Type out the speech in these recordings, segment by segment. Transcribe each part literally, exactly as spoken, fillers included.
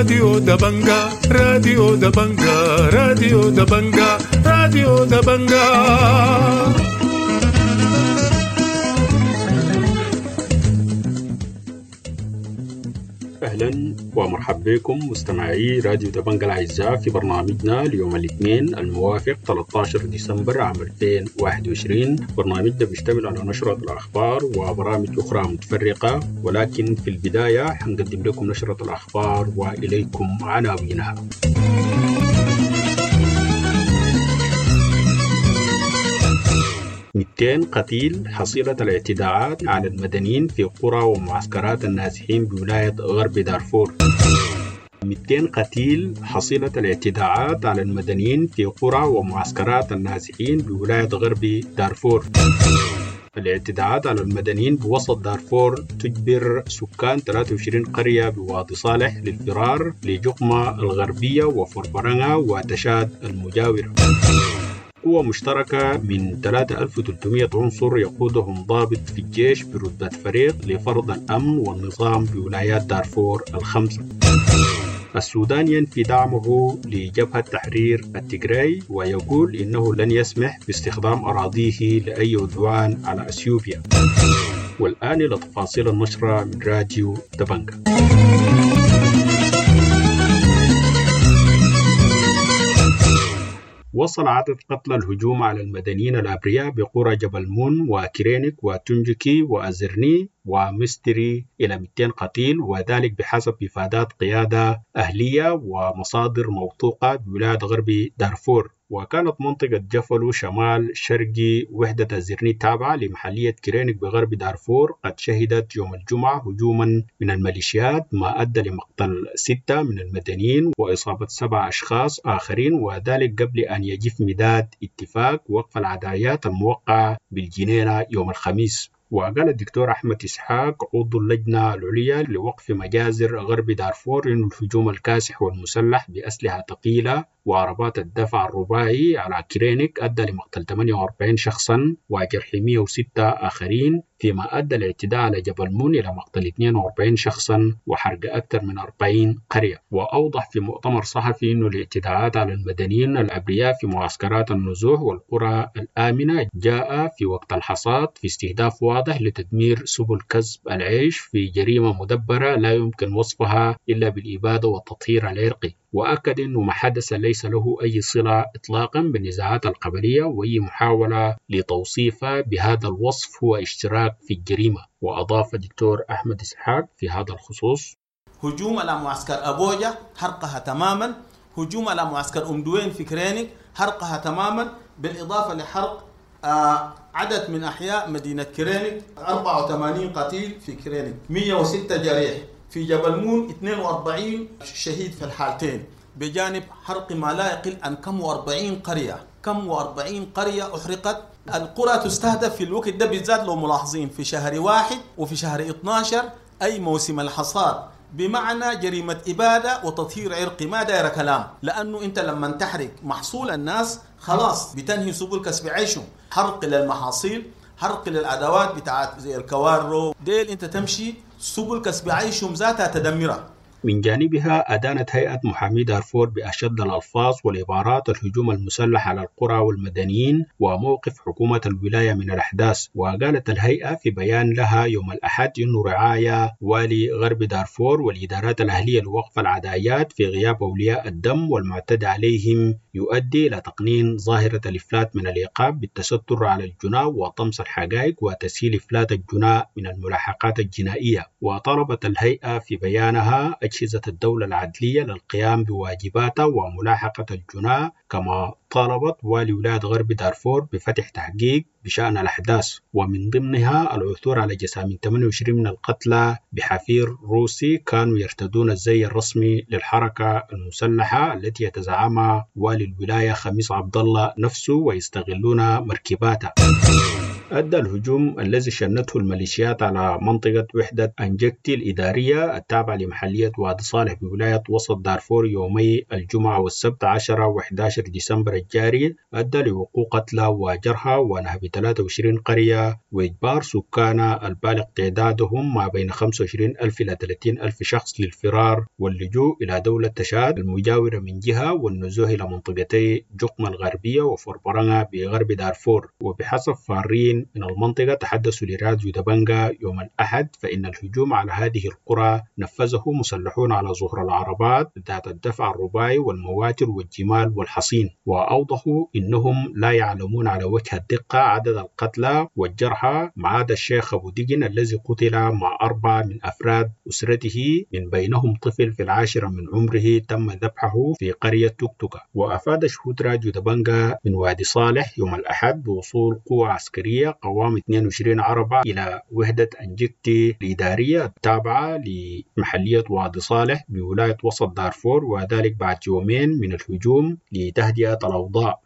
راديو دبنجا، راديو دبنجا، راديو دبنجا، راديو دبنجا. أهلا ومرحبا بكم مستمعي راديو دبنجا الأعزاء في برنامجنا اليوم الاثنين الموافق ثلاثة عشر ديسمبر عام ألفين وواحد وعشرين. برنامجنا بيشتمل على نشرة الأخبار وبرامج أخرى متفرقة، ولكن في البداية حنقدم لكم نشرة الأخبار وإليكم عناوينها. مئتين قتيل حصيلة الاعتداءات على المدنيين في قرى ومعسكرات النازحين بولاية غرب دارفور. مئتين قتيل حصيلة الاعتداءات على المدنيين في قرى ومعسكرات النازحين بولاية غرب دارفور. الاعتداءات على المدنيين بوسط دارفور تجبر سكان ثلاثة وعشرين قرية بوادي صالح للفرار لجقمة الغربية وفربرنة وتشاد المجاورة. قوة مشتركة من ثلاثة آلاف وثلاثمئة عنصر يقودهم ضابط في الجيش برتبة فريق لفرض الأمن والنظام بولايات دارفور الخمسة. السودان ينفي دعمه لجبهة تحرير التجراي ويقول إنه لن يسمح باستخدام أراضيه لأي عدوان على أثيوبيا. والآن إلى تفاصيل النشرة من راديو دبنجا. وصل عدد قتلى الهجوم على المدنيين الأبرياء بقرى جبل مون وكرينك وتنجكي وأزرني ومستري إلى مئتين قتيل، وذلك بحسب إفادات قيادة أهلية ومصادر موثوقة بولاية غرب دارفور. وكانت منطقة جفلو شمال شرقي وحدة الزرني التابعة لمحلية كرينك بغرب دارفور قد شهدت يوم الجمعة هجوما من الميليشيات ما أدى لمقتل ستة من المدنيين وإصابة سبع أشخاص آخرين، وذلك قبل أن يجف مداد اتفاق وقف العدايات الموقع بالجنينة يوم الخميس. وقال الدكتور أحمد إسحاق عضو اللجنة العليا لوقف مجازر غرب دارفور إن الهجوم الكاسح والمسلح بأسلحة ثقيلة وعربات الدفع الرباعي على كرينك أدى لمقتل ثمانية وأربعين شخصا وجرح مئة وستة آخرين، فيما أدى الاعتداء على جبل مون إلى مقتل اثنين وأربعين شخصا وحرق أكثر من أربعين قرية. وأوضح في مؤتمر صحفي أن الاعتداءات على المدنيين الأبرياء في معسكرات النزوح والقرى الآمنة جاء في وقت الحصاد في استهداف واضح لتدمير سبل كسب العيش في جريمة مدبرة لا يمكن وصفها إلا بالإبادة والتطهير العرقي. وأكد أنه ما حدث ليس له أي صلة إطلاقا بالنزاعات القبلية، وأي محاولة لتوصيفها بهذا الوصف هو اشتراك في الجريمة. وأضاف الدكتور أحمد إسحاق في هذا الخصوص: هجوم على معسكر أبوجا حرقها تماما، هجوم على معسكر أم دوين في كرينك حرقها تماما، بالإضافة لحرق آه عدد من أحياء مدينة كرينك، أربعة وثمانين قتيل في كرينك، مئة وستة جريح في جبل مون، اثنين وأربعين شهيد في الحالتين، بجانب حرق ما لا يقل عن كم وأربعين قرية، كم وأربعين قرية أحرقت. القرى تستهدف في الوقت ده بالذات لو ملاحظين في شهر واحد وفي شهر اثني عشر أي موسم الحصاد، بمعنى جريمة إبادة وتطهير عرقي ما داير كلام، لأنه أنت لما تحرق محصول الناس خلاص بتنهي سبل كسب عيشهم، حرق للمحاصيل، حرق للأدوات بتاعت زي الكوارو ديل، أنت تمشي سبل كسب عيشهم ذاتها تدمرها. من جانبها أدانت هيئة محامي دارفور بأشد الألفاظ والعبارات الهجوم المسلح على القرى والمدنيين وموقف حكومة الولاية من الأحداث. وقالت الهيئة في بيان لها يوم الأحد إنه رعاية والي غرب دارفور والإدارات الأهلية لوقف العدايات في غياب أولياء الدم والمعتدى عليهم يؤدي إلى تقنين ظاهرة الإفلات من العقاب بالتستر على الجناة وطمس الحقائق وتسهيل إفلات الجناة من الملاحقات الجنائية. وطلبت الهيئة في بيانها أجهزة الدولة العدلية للقيام بواجباتها وملاحقة الجناة، كما طالبت والي ولاية غرب دارفور بفتح تحقيق بشأن الأحداث، ومن ضمنها العثور على جثامين ثمانية وعشرين من القتلى بحفير روسي كانوا يرتدون الزي الرسمي للحركة المسلحة التي يتزعمها والي الولاية خميس عبد الله نفسه ويستغلون مركباتها. أدى الهجوم الذي شنته الميليشيات على منطقة وحدة أنجكتي الإدارية التابعة لمحلية وادي صالح بولاية وسط دارفور يومي الجمعة والسبت عشرة وحداشر ديسمبر الجاري، أدى لوقوع قتلى وجرحى ونهب تلاتة وعشرين قرية وإجبار سكانها البالغ تعدادهم ما بين خمسة وعشرين ألف إلى تلاتين ألف شخص للفرار واللجوء إلى دولة تشاد المجاورة من جهة والنزوح إلى منطقتي جقمة الغربية وفوربرنقا بغرب دارفور. وبحسب فارين من المنطقة تحدثوا لراديو دبنقا يوم الأحد، فإن الهجوم على هذه القرى نفذه مسلحون على ظهور العربات ذات الدفع الرباعي والمواتر والجمال والحصين، وأوضحوا إنهم لا يعلمون على وجه الدقة عدد القتلى والجرحى ما عدا الشيخ أبو دقن الذي قتل مع أربعة من أفراد أسرته من بينهم طفل في العاشرة من عمره تم ذبحه في قرية توكتوكا. وأفاد شهود راديو دبنقا من وادي صالح يوم الأحد بوصول قوة عسكرية قوام اثنين وعشرين عربة إلى وحدة أنجكتي الإدارية التابعة لمحلية وادي صالح بولاية وسط دارفور، وذلك بعد يومين من الهجوم لتهدئة الأوضاع.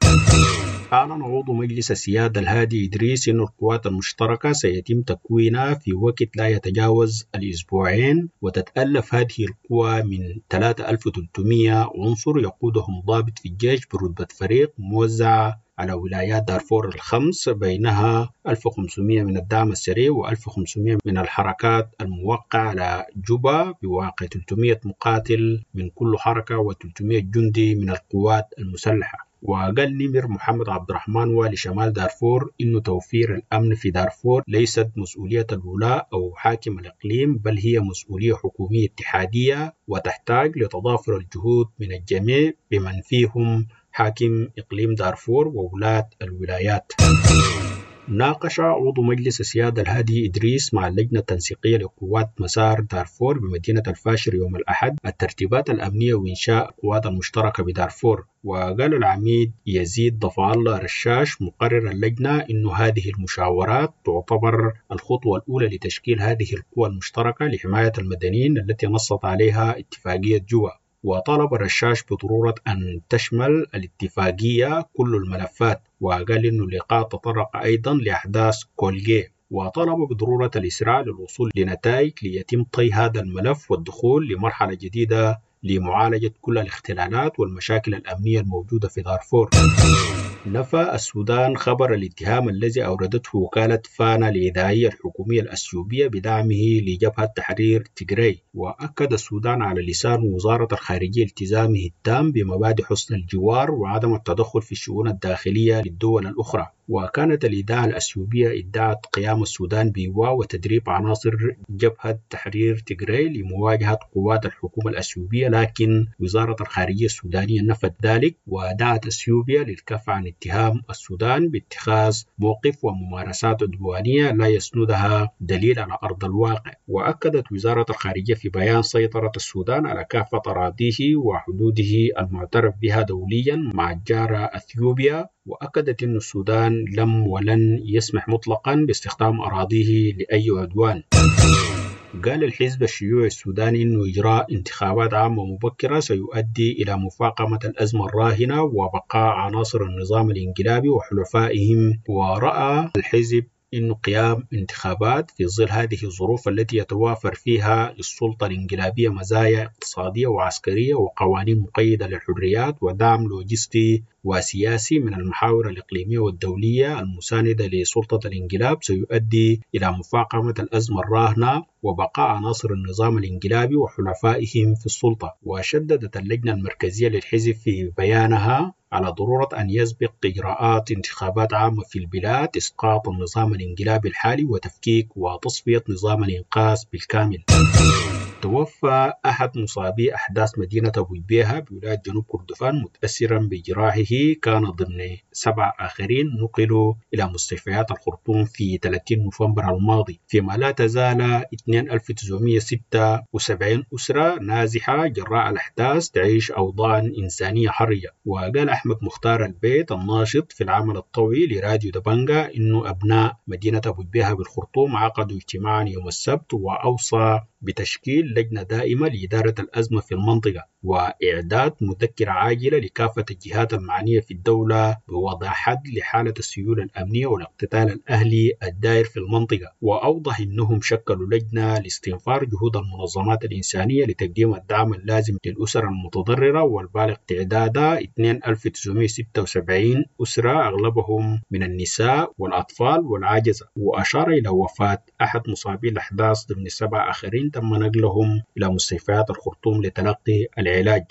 أعلن عضو مجلس السيادة الهادي إدريس أن القوات المشتركة سيتم تكوينها في وقت لا يتجاوز الأسبوعين، وتتألف هذه القوى من ثلاثة آلاف وثلاثمية عنصر يقودهم ضابط في الجيش برتبة فريق موزع على ولايات دارفور الخمس، بينها ألف وخمسمية من الدعم السريع وألف وخمسمية من الحركات الموقعة على جوبا، بواقع ثلاثمية مقاتل من كل حركة وثلاثمية جندي من القوات المسلحة. وقال نمر محمد عبد الرحمن والي شمال دارفور إنه توفير الأمن في دارفور ليست مسؤولية الولاء أو حاكم الإقليم، بل هي مسؤولية حكومية اتحادية وتحتاج لتضافر الجهود من الجميع بمن فيهم حاكم إقليم دارفور وولاة الولايات. ناقش عضو مجلس السيادة الهادي إدريس مع اللجنة التنسيقية لقوات مسار دارفور بمدينة الفاشر يوم الأحد الترتيبات الأمنية وإنشاء القوات المشتركة بدارفور. وقال العميد يزيد ضفع الله رشاش مقرر اللجنة إنه هذه المشاورات تعتبر الخطوة الأولى لتشكيل هذه القوى المشتركة لحماية المدنيين التي نصت عليها اتفاقية جوبا. وطالب الرشاش بضرورة أن تشمل الاتفاقية كل الملفات، وقال إنه اللقاء تطرق أيضا لأحداث كولجي، وطالب بضرورة الإسراع للوصول لنتائج ليتم طي هذا الملف والدخول لمرحلة جديدة لمعالجة كل الاختلالات والمشاكل الأمنية الموجودة في دارفور. نفى السودان خبر الاتهام الذي أوردته وكالة فانا الإذاعية الحكومية الأثيوبية بدعمه لجبهة تحرير تيغراي، وأكد السودان على لسان وزارة الخارجية التزامه التام بمبادئ حسن الجوار وعدم التدخل في الشؤون الداخلية للدول الأخرى. وكانت الإذاعة الأثيوبية ادعت قيام السودان بإيواء وتدريب عناصر جبهة تحرير تيغراي لمواجهة قوات الحكومة الأثيوبية، لكن وزارة الخارجية السودانية نفت ذلك ودعت أثيوبيا للكف عن اتهام السودان باتخاذ موقف وممارسات عدوانية لا يسندها دليل على أرض الواقع. وأكدت وزارة الخارجية في بيان سيطرة السودان على كافة أراضيه وحدوده المعترف بها دوليا مع الجارة أثيوبيا، وأكدت أن السودان لم ولن يسمح مطلقا باستخدام أراضيه لأي عدوان. قال الحزب الشيوعي السوداني أنه إجراء انتخابات عامة مبكرة سيؤدي إلى مفاقمة الأزمة الراهنة وبقاء عناصر النظام الانقلابي وحلفائهم. ورأى الحزب أن قيام انتخابات في ظل هذه الظروف التي يتوافر فيها للسلطة الانقلابية مزايا اقتصادية وعسكرية وقوانين مقيدة للحريات ودعم لوجستي وسياسي من المحاور الإقليمية والدولية المساندة لسلطة الانقلاب سيؤدي إلى مفاقمة الأزمة الراهنة وبقاء عناصر النظام الانقلابي وحلفائهم في السلطة. وشددت اللجنة المركزية للحزب في بيانها على ضرورة أن يسبق إجراءات انتخابات عامة في البلاد إسقاط النظام الانقلابي الحالي وتفكيك وتصفية نظام الإنقاذ بالكامل. توفى أحد مصابي أحداث مدينة أبو جبيهة بولاية جنوب كردفان متأثرا بجراحه، كان ضمن سبع آخرين نقلوا إلى مستشفيات الخرطوم في ثلاثين نوفمبر الماضي، فيما لا تزال اثنين ألف وتسعمية وستة وسبعين أسرة نازحة جراء الأحداث تعيش أوضاعا إنسانية حرجة. وقال أحمد مختار البيت الناشط في العمل الطوعي لراديو دبنجا إنه أبناء مدينة أبو جبيهة بالخرطوم عقدوا اجتماعا يوم السبت، وأوصى بتشكيل لجنة دائمة لإدارة الأزمة في المنطقة وإعداد مذكرة عاجلة لكافة الجهات المعنية في الدولة بوضع حد لحالة السيولة الأمنية والاقتتال الأهلي الدائر في المنطقة. وأوضح أنهم شكلوا لجنة لاستنفار جهود المنظمات الإنسانية لتقديم الدعم اللازم للأسر المتضررة والبالغ تعدادها ألفين وتسعمائة وستة وسبعين أسرة أغلبهم من النساء والأطفال والعجزة. وأشار إلى وفاة أحد مصابي الأحداث ضمن سبعة آخرين تم نقلهم إلى مستشفيات الخرطوم لتلقي العلاج.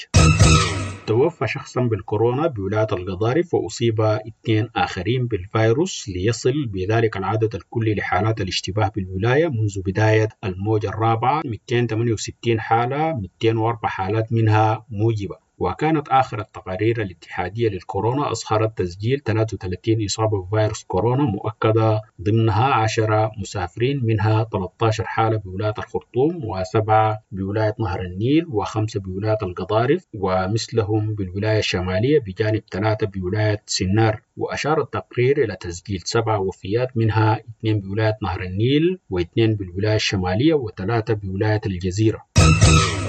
توفى شخصا بالكورونا بولاية القضارف وأصيب اثنين آخرين بالفيروس، ليصل بذلك العدد الكلي لحالات الاشتباه بالولاية منذ بداية الموجة الرابعة مئتين وثمانية وستين حالة، مئتين وأربع حالات منها موجبة. وكانت آخر التقارير الاتحادية للكورونا أظهرت تسجيل ثلاثة وثلاثين إصابة بفيروس كورونا مؤكدة، ضمنها عشرة مسافرين، منها ثلاثة عشر حالة بولاية الخرطوم وسبعة بولاية نهر النيل وخمسة بولاية القضارف ومثلهم بالولاية الشمالية بجانب ثلاثة بولاية سنار. وأشار التقرير إلى تسجيل سبعة وفيات، منها اثنين بولاية نهر النيل واثنين بالولاية الشمالية وثلاثة بولاية الجزيرة.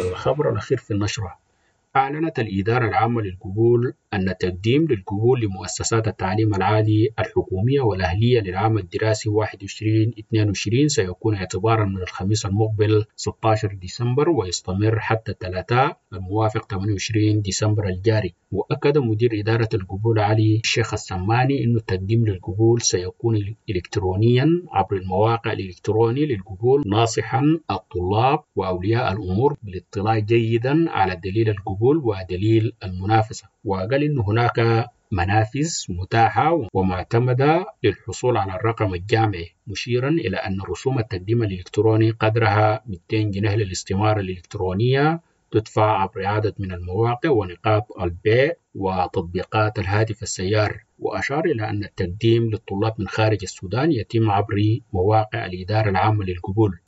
الخبر الأخير في النشرة: أعلنت الإدارة العامة للقبول أن التقديم للقبول لمؤسسات التعليم العالي الحكومية والأهلية للعام الدراسي واحد وعشرين اثنين وعشرين سيكون اعتبارا من الخميس المقبل ستة عشر ديسمبر ويستمر حتى الثلاثاء الموافق ثمانية وعشرين ديسمبر الجاري. وأكد مدير إدارة القبول علي الشيخ السماني أن التقديم للقبول سيكون إلكترونيا عبر المواقع الإلكتروني للقبول، ناصحا الطلاب وأولياء الأمور بالاطلاع جيدا على دليل القبول ودليل المنافسة. وقال إن هناك منافذ متاحة ومعتمدة للحصول على الرقم الجامعي، مشيرا إلى أن رسوم التقديم الإلكتروني قدرها مئتين جنيه للاستمارة الإلكترونية تدفع عبر عدد من المواقع ونقاط البيع وتطبيقات الهاتف السيار. وأشار إلى أن التقديم للطلاب من خارج السودان يتم عبر مواقع الإدارة العامة للقبول.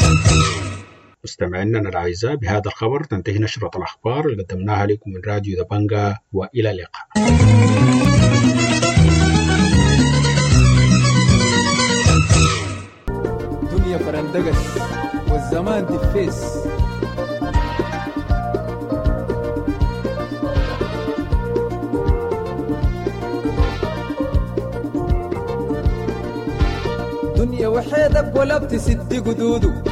مستمعينا الأعزاء، بهذا الخبر تنتهي نشرة الأخبار اللي قدمناها لكم من راديو دبنجا، وإلى اللقاء. دنيا فرندقت والزمان دفيس، دنيا وحيدك ولا بتسد قدوده،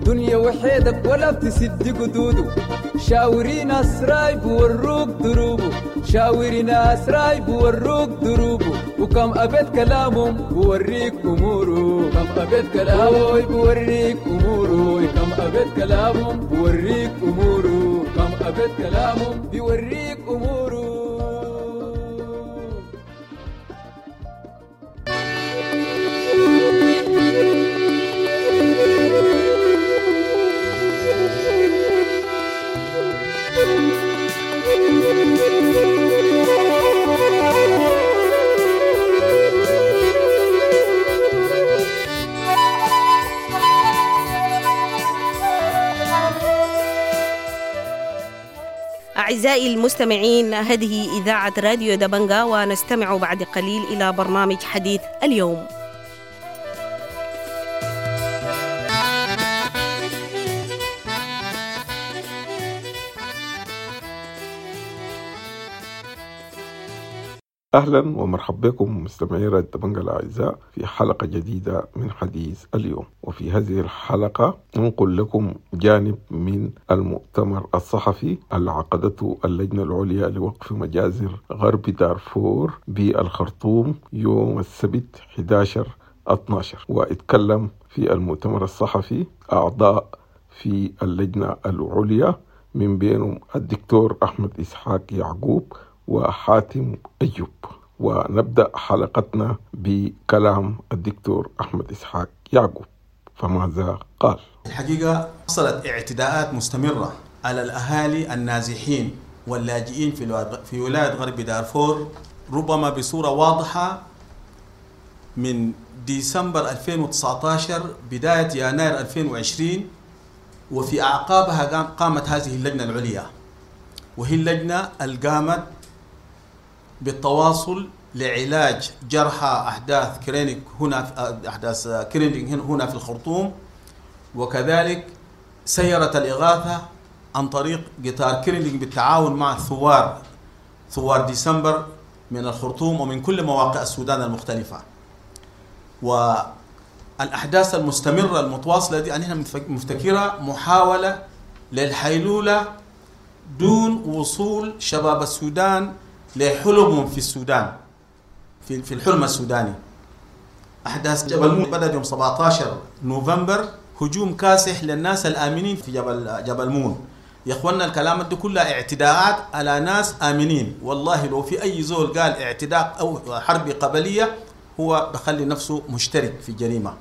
دنيا وحيدك ولا بتسد قدوده، شاوري ناس رايب وروك دروبه، شاوري ناس رايب وروك دروبه، وكم أبيت كلامهم بوريك أموره، كم أبيت كلامه بوريك أموره، كم أبيت كلامهم بوريك أموره، كم أبيت كلامهم بوريك أموره. أعزائي المستمعين، هذه إذاعة راديو دبنجا، ونستمع بعد قليل إلى برنامج حديث اليوم. أهلا ومرحبا بكم مستمعي راديو دبنجا الأعزاء في حلقة جديدة من حديث اليوم. وفي هذه الحلقة ننقل لكم جانب من المؤتمر الصحفي اللي عقدته اللجنة العليا لوقف مجازر غرب دارفور بالخرطوم يوم السبت أحد عشر اثنا عشر. واتكلم في المؤتمر الصحفي أعضاء في اللجنة العليا من بينهم الدكتور أحمد إسحاق يعقوب وحاتم أيوب. ونبدأ حلقتنا بكلام الدكتور أحمد إسحاق يعقوب، فماذا قال؟ الحقيقة حصلت اعتداءات مستمرة على الأهالي النازحين واللاجئين في في ولاية غرب دارفور، ربما بصورة واضحة من ديسمبر ألفين وتسعة عشر بداية يناير ألفين وعشرين، وفي أعقابها قامت هذه اللجنة العليا، وهي اللجنة اللي قامت بالتواصل لعلاج جرحى أحداث كرينيك هنا، أحداث كرينيك هنا في الخرطوم، وكذلك سيرت الإغاثة عن طريق قطار كريندينج بالتعاون مع الثوار، ثوار ديسمبر من الخرطوم ومن كل مواقع السودان المختلفة. والأحداث المستمرة المتواصلة دي أنها مفتكرة محاولة للحيلولة دون وصول شباب السودان لحلمهم في السودان، في في الحلم السوداني. أحداث جبل مون بدأت يوم سبعة عشر نوفمبر، هجوم كاسح للناس الآمنين في جبل جبل مون. يا اخوانا الكلام ده كلها اعتداءات على ناس آمنين. والله لو في أي زول قال اعتداء أو حرب قبلية هو بخلي نفسه مشترك في الجريمة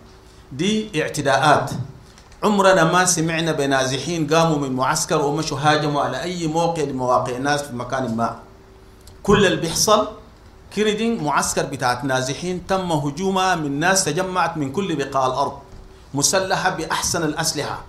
دي. اعتداءات عمرنا ما سمعنا بنازحين قاموا من معسكر ومشوا هاجموا على أي موقع لمواقع الناس في مكان ما. كل اللي بيحصل كريدينج معسكر بتاعت نازحين تم هجومها من ناس تجمعت من كل بقاع الأرض مسلحة بأحسن الأسلحة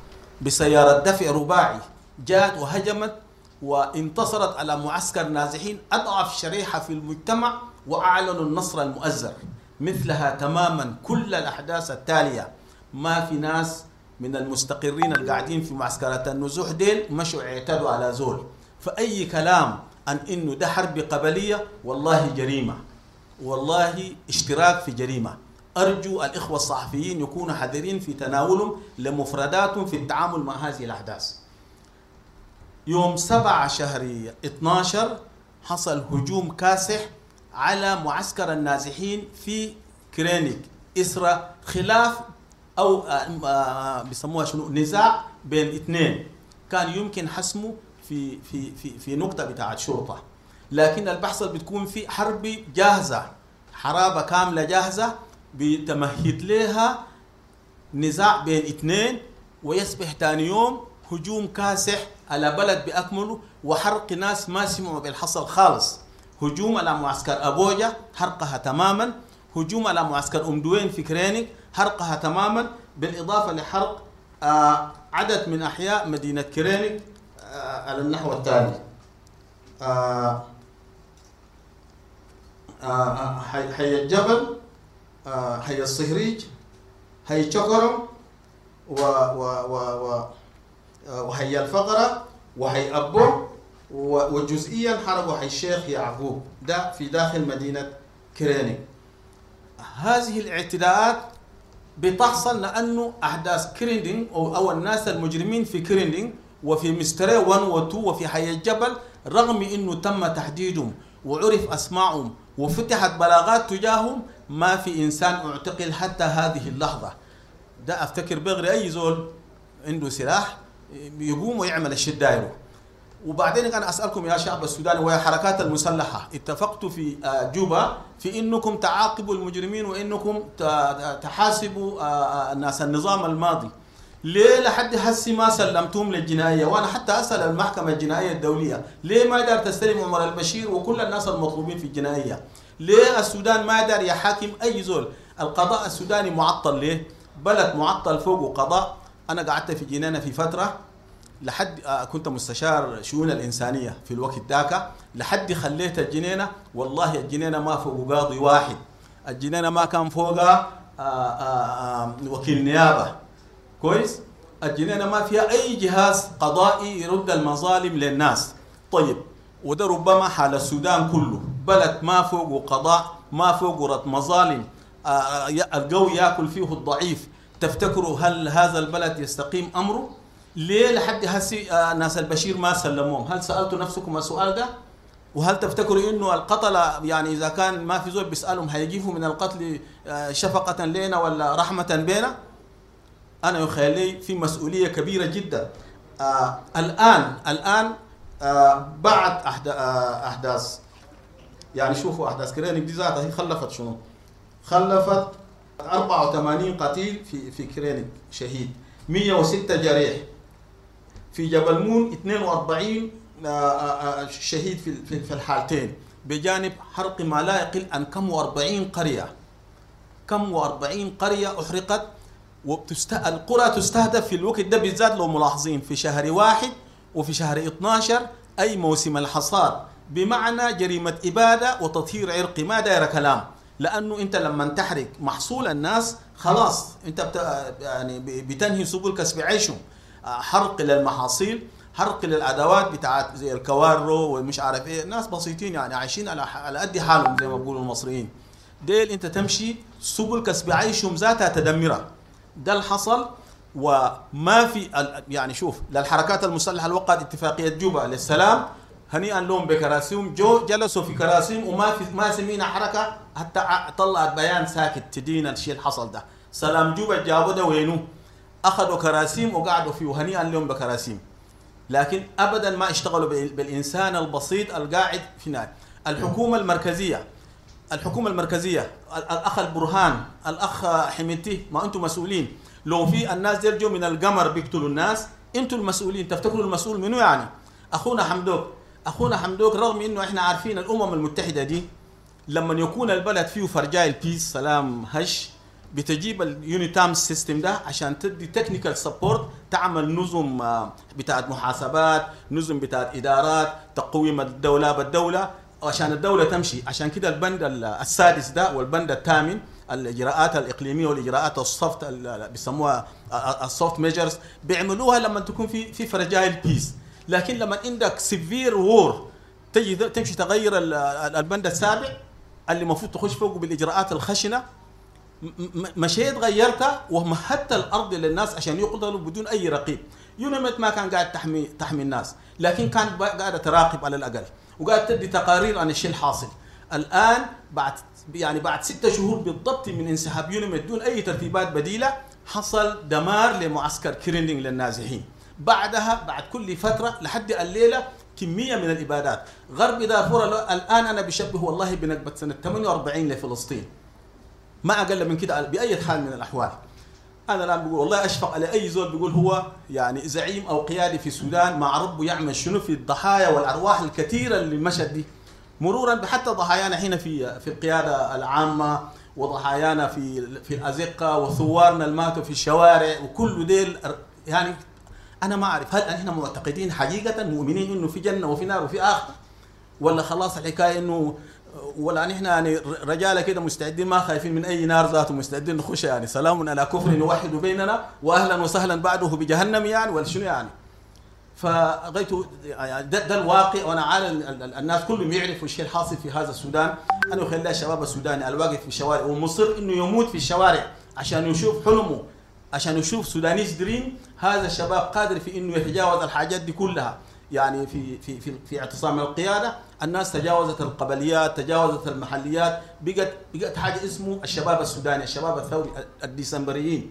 بسيارة دفع رباعي، جاءت وهجمت وانتصرت على معسكر نازحين أضعف شريحة في المجتمع وأعلنوا النصر المؤزر. مثلها تماما كل الأحداث التالية، ما في ناس من المستقرين القاعدين في معسكرات النزوح ديل مشوا اعتدوا على زول. فأي كلام عن إنه ده حرب قبلية والله جريمة، والله اشتراك في جريمة. أرجو الإخوة الصحفيين يكونوا حذرين في تناولهم لمفرداتهم في التعامل مع هذه الأحداث. يوم سبعة شهر اثناشر حصل هجوم كاسح على معسكر النازحين في كرينيك، إسرة خلاف أو بيسموها شنو، نزاع بين اثنين كان يمكن حسمه في في في في نقطة بتاعت شرطة، لكن البحث بتكون في حرب جاهزة، حرابة كاملة جاهزة بتمهد لها نزاع بين اثنين، ويصبح ثاني يوم هجوم كاسح على بلد بأكمله وحرق ناس ما سمعوا بالحصل خالص. هجوم على معسكر أبوجا حرقها تماما، هجوم على معسكر أم دوين في كرينيك حرقها تماما، بالإضافة لحرق آه عدد من أحياء مدينة كرينيك آه على النحو التالي. آه آه حي, حي الجبل، آه حي الصهريج، حي شكرم، و و و و وحي الفقرة، وحي أبو، وجزئيا حرقوا حي الشيخ يعقوب، ده في داخل مدينة كرينيك. هذه الاعتداءات بتحصل لأنه أحداث كريندينج أو, أو الناس المجرمين في كريندينج وفي مستري واحد و اثنين وفي حي الجبل، رغم أنه تم تحديدهم وعرف أسماعهم وفتحت بلاغات تجاههم، ما في إنسان اعتقل حتى هذه اللحظة. ده أفتكر بغري أي زول عنده سلاح يقوم ويعمل الشيء دايره. وبعدين أنا أسألكم يا شعب السوداني ويا حركات المسلحة، اتفقتوا في جوبا في إنكم تعاقبوا المجرمين وإنكم تحاسبوا الناس النظام الماضي، ليه لحد هسي ما سلمتهم للجنائية؟ وأنا حتى أسأل المحكمة الجنائية الدولية ليه ما دار تستلم عمر البشير وكل الناس المطلوبين في الجنائية؟ ليه السودان ما دار يحاكم أي زول؟ القضاء السوداني معطل ليه؟ بلد معطل فوقه قضاء. أنا قعدت في جنينة في فترة لحد كنت مستشار شؤون الإنسانية في الوقت ذاك، لحد خليت الجنينة والله الجنينة ما فوق قاضي واحد، الجنينة ما كان فوقها وكيل نيابة كويس، الجنينة ما فيها أي جهاز قضائي يرد المظالم للناس. طيب وده ربما حال السودان كله، بلد ما فوقه قضاء، ما فوقه رد مظالم، القوي ياكل فيه الضعيف. تفتكروا هل هذا البلد يستقيم أمره؟ ليه لحد هسي ناس البشير ما سلموهم؟ هل سألتوا نفسكم السؤال ده؟ وهل تفتكروا انه القتلة يعني اذا كان ما في زول بيسألهم هيجيفوا من القتل شفقة لنا ولا رحمة بينا؟ انا يخيل لي في مسؤولية كبيرة جدا. آه الان الان آه بعد احداث، يعني شوفوا احداث كرينيك دي ذاتها هي خلفت شنو؟ خلفت أربعة وثمانين قتيل في في كرينيك شهيد، مئة وستة جريح، في جبل مون اثنين وأربعين شهيد في في الحالتين، بجانب حرق ما لا يقل عن كم وأربعين قرية، كم وأربعين قرية أحرقت. وبتست... القرى تستهدف في الوقت ده بالذات لو ملاحظين في شهر واحد وفي شهر اثناشر أي موسم الحصاد، بمعنى جريمة إبادة وتطهير عرقي، ما داير كلام. لأنه أنت لما تحرق محصول الناس خلاص أنت بت... يعني بتنهي سبل كسب عيشهم. حرق للمحاصيل، حرق للادوات بتاعت زي الكوارو والمش عارف ايه. ناس بسيطين يعني عايشين على على قد حالهم زي ما بيقولوا المصريين ديل. انت تمشي سبل كسب عيشهم ذاتها تدمرها. ده اللي حصل. وما في يعني شوف للحركات المسلحة اللي وقعت اتفاقية جوبا للسلام، هنيئا لهم بكراسيهم، جو جلسوا في كراسيهم وما في ما سمينا حركة حتى طلعت بيان ساكت تدين الشيء اللي حصل ده. سلام جوبا جابوا ده وينه؟ اخذوا كراسيم وقعدوا فيه، وهنيئا لهم بكراسيم، لكن ابدا ما اشتغلوا بالانسان البسيط القاعد في نار. الحكومة المركزية، الحكومة المركزية، الاخ البرهان، الاخ حميدتي، ما انتم مسؤولين. لو في الناس ديل جو من القمر بيقتلوا الناس، انتم المسؤولين. تفتكروا المسؤول منو يعني؟ اخونا حمدوك، اخونا حمدوك رغم انه احنا عارفين الامم المتحدة دي لما يكون البلد فيه fragile peace سلام هش، بتجيب ال UNITAMS system ده عشان تدي technical support، تعمل نظم بتاعت محاسبات، نظم بتاعت ادارات، تقويم الدولة بالدولة عشان الدولة تمشي. عشان كده البند السادس ده والبند الثامن، الاجراءات الاقليمية والاجراءات ال soft اللي بيسموها ال soft measures، بيعملوها لما تكون في في fragile peace. لكن لما عندك severe war تجي تمشي تغير البند السابع اللي المفروض تخش فوقه بالاجراءات الخشنة، مشيت غيرتها ومهدت الارض للناس عشان يقتلوا بدون اي رقيب. UNAMID ما كان قاعد تحمي تحمي الناس، لكن كان قاعدة تراقب على الاقل وقاعد تدي تقارير عن الشيء الحاصل. الان بعد يعني بعد ستة شهور بالضبط من انسحاب UNAMID دون اي ترتيبات بديله، حصل دمار لمعسكر كرينينج للنازحين. بعدها بعد كل فترة لحد الليلة كمية من الابادات. غرب دارفور الان انا بشبه والله بنكبه سنة ثمانية وأربعين لفلسطين، ما اقل من كده باي حال من الاحوال. انا الان بقول والله اشفق على اي زول بيقول هو يعني زعيم او قيادي في السودان مع ربه يعمل شنو في الضحايا والارواح الكثيرة اللي مشت دي، مرورا بحتى ضحايانا هنا في في القيادة العامة، وضحايانا في في الازقه، وثوارنا اللي ماتوا في الشوارع، وكل ديل. يعني انا ما اعرف هل احنا معتقدين حقيقة مؤمنين انه في جنة وفي نار وفي اخره، ولا خلاص الحكاية انه ولا نحن يعني رجاله كده مستعدين ما خايفين من اي نار ذاته، مستعدين نخش يعني سلام على كفر يوحد بيننا واهلا وسهلا بعده بجهنم يعني، ولا شنو يعني؟ فغيته يعني ده, ده الواقع. وانا عارف الناس كلهم يعرفوا الشيء الحاصل في هذا السودان. انا اخلي الشباب السوداني الواقف في الشوارع ومصر انه يموت في الشوارع عشان يشوف حلمه، عشان يشوف Sudanese dream، هذا الشباب قادر في انه يتجاوز الحاجات دي كلها. يعني في في في في اعتصام القيادة الناس تجاوزت القبليات، تجاوزت المحليات، بقت بقت حاجة اسمه الشباب السوداني، الشباب الثوري، الديسمبريين.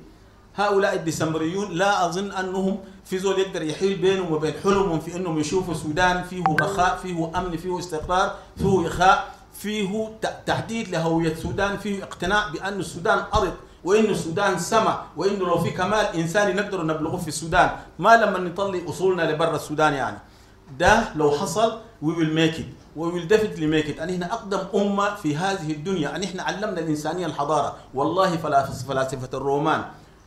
هؤلاء الديسمبريون لا اظن انهم في زول يقدر يحيل بينهم وبين حلمهم في انهم يشوفوا السودان فيه رخاء، فيه امن، فيه استقرار، فيه اخاء، فيه تحديد لهويه السودان، فيه اقتناع بان السودان ارض وانه السودان سما، وانه لو في كمال انساني نقدر نبلغه في السودان، ما لما نطلع اصولنا لبر السودان يعني. ده لو حصل we will make it، we will definitely make it. ان احنا اقدم امه في هذه الدنيا، ان احنا علمنا الانسانية الحضارة. والله فلاسفة الرومان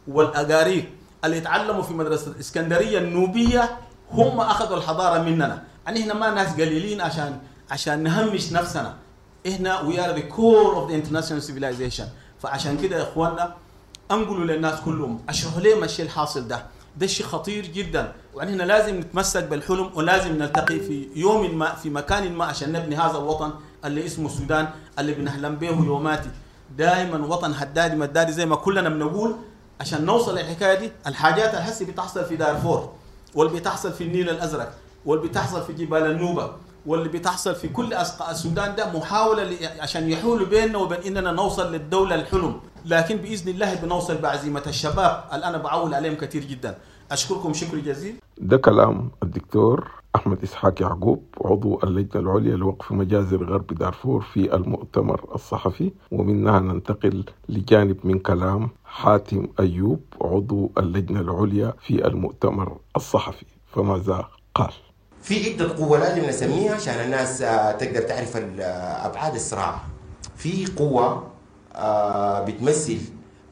والاغاريق اللي اتعلموا في مدرسه الاسكندرية النوبيه هم اخذوا الحضارة مننا. ان احنا ما ناس قليلين عشان عشان نهمش نفسنا. احنا we are the core of the international civilization. فعشان كده يا اخواننا انقلوا للناس كلهم، اشرحوا لهم الشيء الحاصل ده، ده شيء خطير جدا، وإحنا لازم نتمسك بالحلم ولازم نلتقي في يوم ما في مكان ما عشان نبني هذا الوطن اللي اسمه السودان اللي بنحلم به يوماتي دائما، وطن هدادي مدادي زي ما كلنا بنقول. عشان نوصل للحكايه دي، الحاجات الحسي بتحصل في دارفور، واللي بتحصل في النيل الازرق، واللي بتحصل في جبال النوبة، واللي بتحصل في كل أصقاع السودان، ده محاولة عشان يحولوا بيننا وبين إننا نوصل للدولة الحلم. لكن بإذن الله بنوصل بعزيمة الشباب اللي أنا بعول عليهم كثير جدا. أشكركم شكر جزيل. ده كلام الدكتور أحمد إسحاق يعقوب، عضو اللجنة العليا لوقف مجازر غرب دارفور في المؤتمر الصحفي. ومنها ننتقل لجانب من كلام حاتم أيوب، عضو اللجنة العليا في المؤتمر الصحفي، فماذا قال؟ في عدة قوة لازم نسميها عشان الناس تقدر تعرف أبعاد الصراع. في قوة بتمثل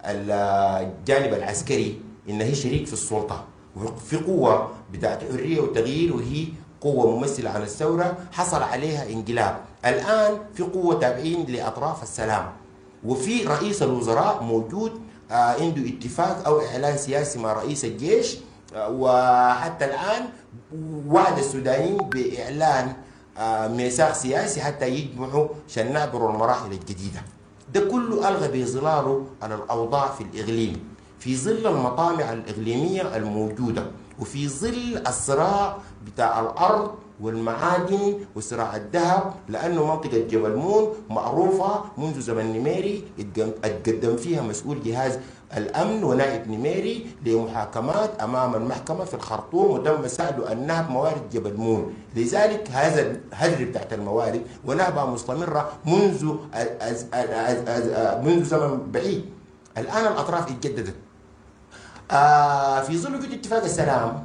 الجانب العسكري إن هي شريك في السلطة، وفي قوة بتاعت حرية وتغيير وهي قوة ممثلة عن الثورة حصل عليها انقلاب. الآن في قوة تابعين لأطراف السلام، وفي رئيس الوزراء موجود عنده اتفاق أو إعلان سياسي مع رئيس الجيش وحتى الآن وعد السودانيين بإعلان ميثاق سياسي حتى يجمعوا عشان نعبروا المراحل الجديدة. ده كله ألغى بظلاله على الأوضاع في الإقليم في ظل المطامع الإقليمية الموجودة، وفي ظل الصراع بتاع الأرض والمعادن وصراع الذهب، لأنه منطقة جبل مون معروفة منذ زمن نميري اتقدم فيها مسؤول جهاز الأمن ونائب نميري لمحاكمات أمام المحكمة في الخرطوم، وتم سأله النهب موارد جبل مون. لذلك هذا الهدر بتاعت الموارد ونهبها مستمرة منذ أز أز أز منذ زمن بعيد. الآن الأطراف اتجددت آه في ظل وجود اتفاق السلام،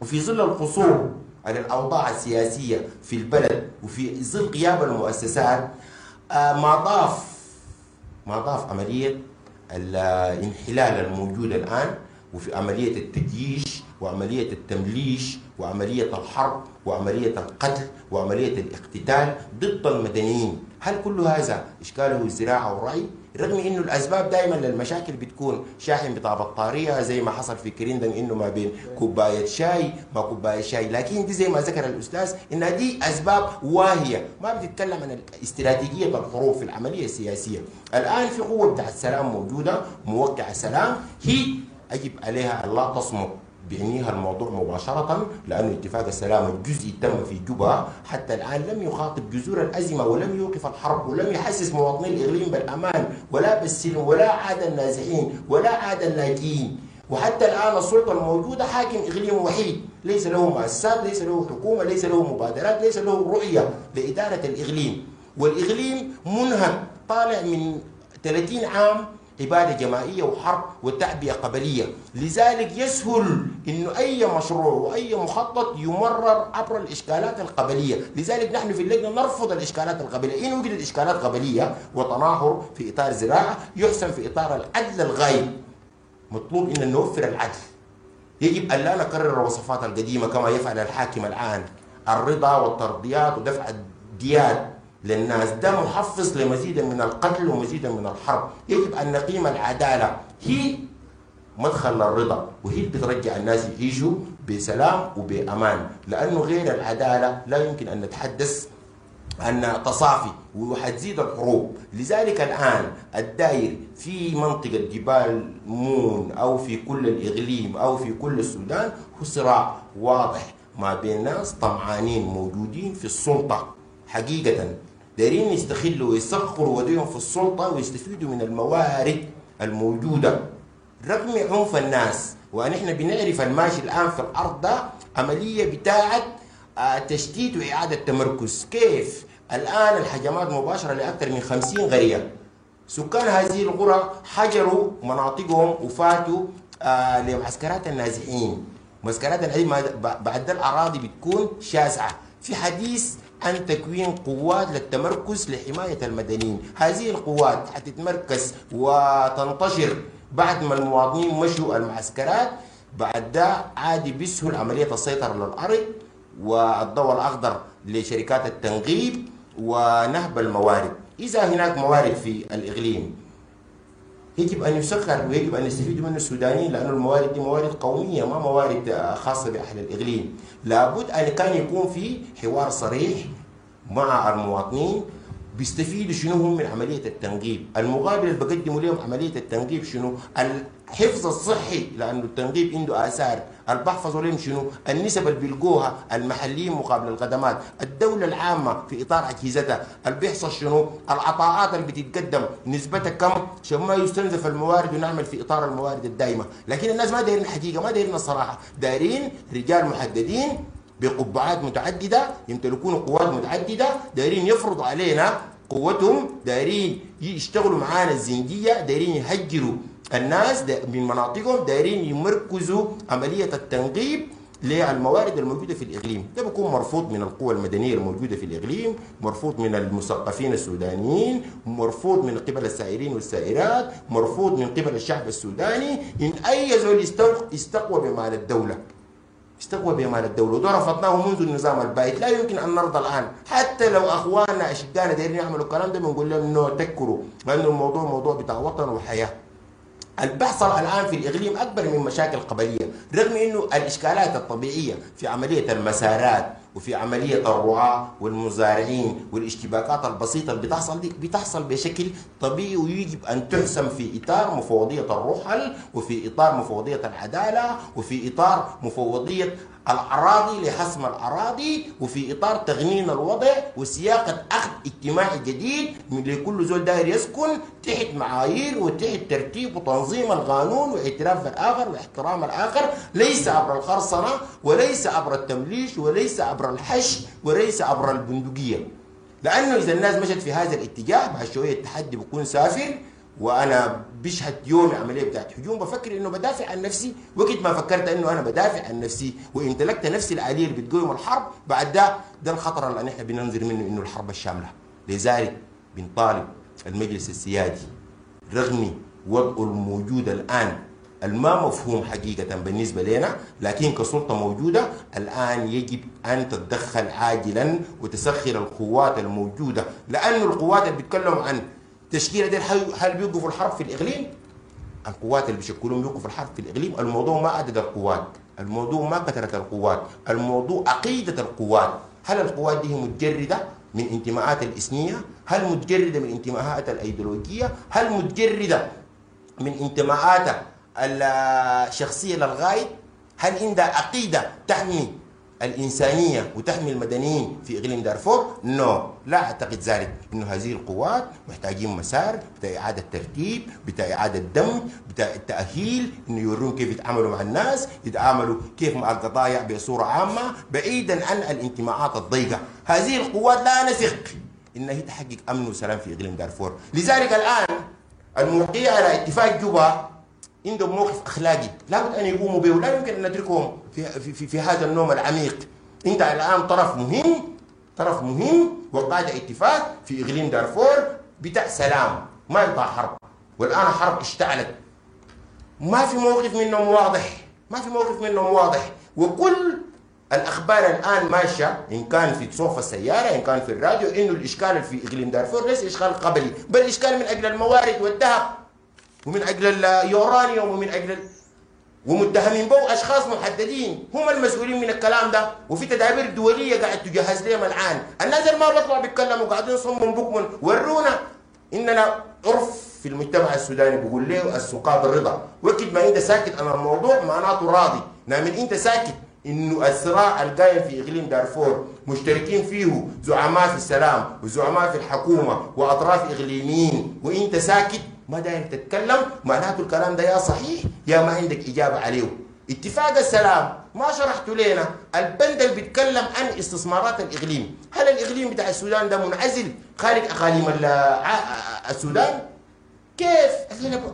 وفي ظل القصور على الأوضاع السياسية في البلد، وفي ظل غياب المؤسسات، آه ما ضاف ما ضاف عملية الانحلال الموجودة الآن، وفي عملية التجيش وعملية التمليش وعملية الحرب وعملية القتل وعملية الاقتتال ضد المدنيين. هل كل هذا إشكاله الزراعة والرعي؟ رغم انه الاسباب دائما للمشاكل بتكون شاحن بتاع بطارية زي ما حصل في كريندن، انه ما بين كوباية شاي ما كوباية شاي، لكن دي زي ما ذكر الاستاذ انها دي اسباب واهية ما بتتكلم عن استراتيجية الحروب في العملية السياسية. الان في قوة بتاع السلام موجودة موقعه سلام، هي يجب عليها ان لا تصمت بعنيها الموضوع مباشرة، لأنه اتفاق السلام الجزئي تم في جوبا حتى الآن لم يخاطب جذور الأزمة، ولم يوقف الحرب، ولم يحسس مواطني الإقليم بالأمان ولا بالسلم، ولا عاد النازحين ولا عاد اللاجئين. وحتى الآن السلطة الموجودة حاكم إقليم وحيد، ليس له مؤسسات، ليس له حكومة، ليس له مبادرات، ليس له رؤية لإدارة الإقليم. والإقليم منهك طالع من ثلاثين عام إبادة جماعية وحرب وتعبئة قبلية، لذلك يسهل إنه أي مشروع وأي مخطط يمرر عبر الإشكالات القبلية. لذلك نحن في اللجنة نرفض الإشكالات القبلية. إن وجدت إشكالات قبلية وتناحر في إطار زراعة يحسن في إطار العدل الغايب. مطلوب إن نوفر العدل. يجب أن لا نكرر الوصفات القديمة كما يفعل الحاكم الآن، الرضا والترضيات ودفع الديات للناس، ده محفز لمزيد من القتل ومزيد من الحرب. يجب أن نقيم العدالة، هي مدخل للرضا، وهي اللي بترجع الناس يعيشوا بسلام وبأمان، لأنه غير العدالة لا يمكن أن نتحدث أن تصافي وحتزيد الحروب. لذلك الآن الداير في منطقة جبال مون أو في كل الإقليم أو في كل السودان هو صراع واضح ما بين ناس طمعانين موجودين في السلطة حقيقة، دايرين يستخلوا ويسخروا وديهم في السلطة ويستفيدوا من الموارد الموجودة رغم عنف الناس. ونحن بنعرف الماشي الآن في الأرض ده عملية بتاعة تشتيت وإعادة تمركز. كيف؟ الآن الهجمات مباشرة لأكثر من خمسين قرية، سكان هذه القرى حجروا مناطقهم وفاتوا لمعسكرات النازحين. معسكرات النازحين بعد الأراضي بتكون شاسعة. في حديث عن تكوين قوات للتمركز لحماية المدنيين، هذه القوات حتتمركز وتنتشر بعد ما المواطنين مشوا المعسكرات. بعد ده عادي بيسهل عملية السيطرة للأرض والضوء الأخضر لشركات التنقيب ونهب الموارد. إذا هناك موارد في الإقليم يجب أن يسخر ويجب أن يستفيدوا منه السودانيين، لأن الموارد دي موارد قومية ما موارد خاصة بأهل الإقليم. لابد أن كان يكون في حوار صريح مع المواطنين بيستفيدوا شنو هم من عملية التنقيب، المقابل اللي بقدموا لهم عملية التنقيب شنو، الحفظ الصحي لأنه التنقيب عنده آثار، اللي بحفظوا لهم شنو، النسب اللي بيلقوها المحليين مقابل الخدمات، الدولة العامة في إطار أجهزتها، اللي بيحصل شنو، العطاءات اللي بتتقدم نسبتها كم، عشان ما يستنزف الموارد ونعمل في إطار الموارد الدائمة. لكن الناس ما دايرين الحقيقة، ما دايرين الصراحة، دايرين رجال محددين بقبعات متعددة يمتلكون قوات متعددة، دايرين يفرضوا علينا قوتهم، دايرين يشتغلوا معانا الزنجية، دايرين يهجروا الناس من مناطقهم، دايرين يمركزوا عملية التنقيب للموارد الموجودة في الإقليم. ده بيكون مرفوض من القوى المدنية الموجودة في الإقليم، مرفوض من المثقفين السودانيين، مرفوض من قبل السائرين والسائرات، مرفوض من قبل الشعب السوداني. إن أي زول استقوى بمال الدولة، استقوى بمال الدولة، وده رفضناه منذ النظام البائد. لا يمكن أن نرضى الآن، حتى لو أخواننا أشقائنا دايرين يعملوا الكلام ده بنقول لهم إنه تكروا، لأنه الموضوع موضوع بتاع وطن وحياة. البحصل الآن في الإقليم أكبر من مشاكل قبلية، رغم أنه الإشكالات الطبيعية في عملية المسارات وفي عملية الرعاة والمزارعين والاشتباكات البسيطة اللي بتحصل دي بتحصل بشكل طبيعي، ويجب أن تحسم في إطار مفوضية الرحل وفي إطار مفوضية العدالة وفي إطار مفوضية الأراضي لحسم الأراضي وفي إطار تغنين الوضع وسياقة أخذ اجتماعي جديد من لكل زول داير يسكن تحت معايير وتحت ترتيب وتنظيم القانون واعتراف بالآخر واحترام الآخر، ليس عبر الخرصنة وليس عبر التمليش وليس عبر الحش وليس عبر البندقية. لأنه إذا الناس مشت في هذا الاتجاه بعد شوية التحدي بيكون سافر. وانا بشهد يومي عملية بتاعت هجوم بفكر انه بدافع عن نفسي، وقت ما فكرت انه انا بدافع عن نفسي وامتلكت نفسي الآلية اللي بتقوم الحرب، بعد ده ده الخطر اللي احنا بننظر منه انه الحرب الشاملة. لذلك بنطالب المجلس السيادي رغم وضعه الموجود الان الما مفهوم حقيقة بالنسبة لنا، لكن كسلطة موجودة الآن يجب أن تتدخل عاجلا وتسخر القوات الموجودة، لأنه القوات اللي بيتكلموا عن تشكيلة دي هل بيوقفوا الحرب في الإقليم؟ القوات اللي بيشكلون بيوقفوا الحرب في الإقليم. الموضوع ما عدد القوات، الموضوع ما كثرة القوات، الموضوع عقيدة القوات. هل القوات دي متجردة من انتماءات الإثنية؟ هل متجردة من انتماءات الأيديولوجية؟ هل متجردة من انتماءاتها الشخصية للغاية؟ هل عندها عقيدة تحمي الإنسانية وتحمي المدنيين في إقليم دارفور؟ نو، لا أعتقد ذلك. إنه هذه القوات محتاجين مسار بتاع إعادة ترتيب، بتاع إعادة دمج، بتاع التأهيل، إنه يورون كيف يتعاملوا مع الناس، يتعاملوا كيف مع القضايا بصورة عامة بعيدا عن الانتماءات الضيقة. هذه القوات لا نثق إنها هي تحقق أمن وسلام في إقليم دارفور. لذلك الآن الموقعين على اتفاق جوبا عندهم موقف اخلاقي لابد ان يقوموا به، ولا يمكن ان نتركهم في في في, في هذا النوم العميق. انت الان طرف مهم، طرف مهم وقعت اتفاق في اقليم دارفور بتاع سلام، ما بتاع حرب، والان حرب اشتعلت. ما في موقف منهم واضح، ما في موقف منهم واضح، وكل الاخبار الان ماشية ان كان في صوف السيارة ان كان في الراديو انه الاشكال في اقليم دارفور ليس اشكال قبلي، بل اشكال من اجل الموارد والذهب ومن اجل اليورانيوم ومن اجل ال... ومتهمين به اشخاص محددين هم المسؤولين من الكلام ده، وفي تدابير دولية قاعد تجهز لهم الان. الناس اللي ما بيطلعوا بيتكلموا قاعدين صمم بكم، ورونا اننا عرف في المجتمع السوداني بيقول له السقاط الرضا، وقت ما انت ساكت عن الموضوع معناته راضي، نعم انت ساكت انه الصراع القائم في اقليم دارفور مشتركين فيه زعماء في السلام وزعماء في الحكومة واطراف اقليميين، وانت ساكت ما داير تتكلم، معناته الكلام ده يا صحيح يا ما عندك إجابة عليه. اتفاق السلام ما شرحته لنا البند اللي بيتكلم عن استثمارات الإقليم، هل الإقليم بتاع السودان ده منعزل خارج أقاليم السودان؟ كيف؟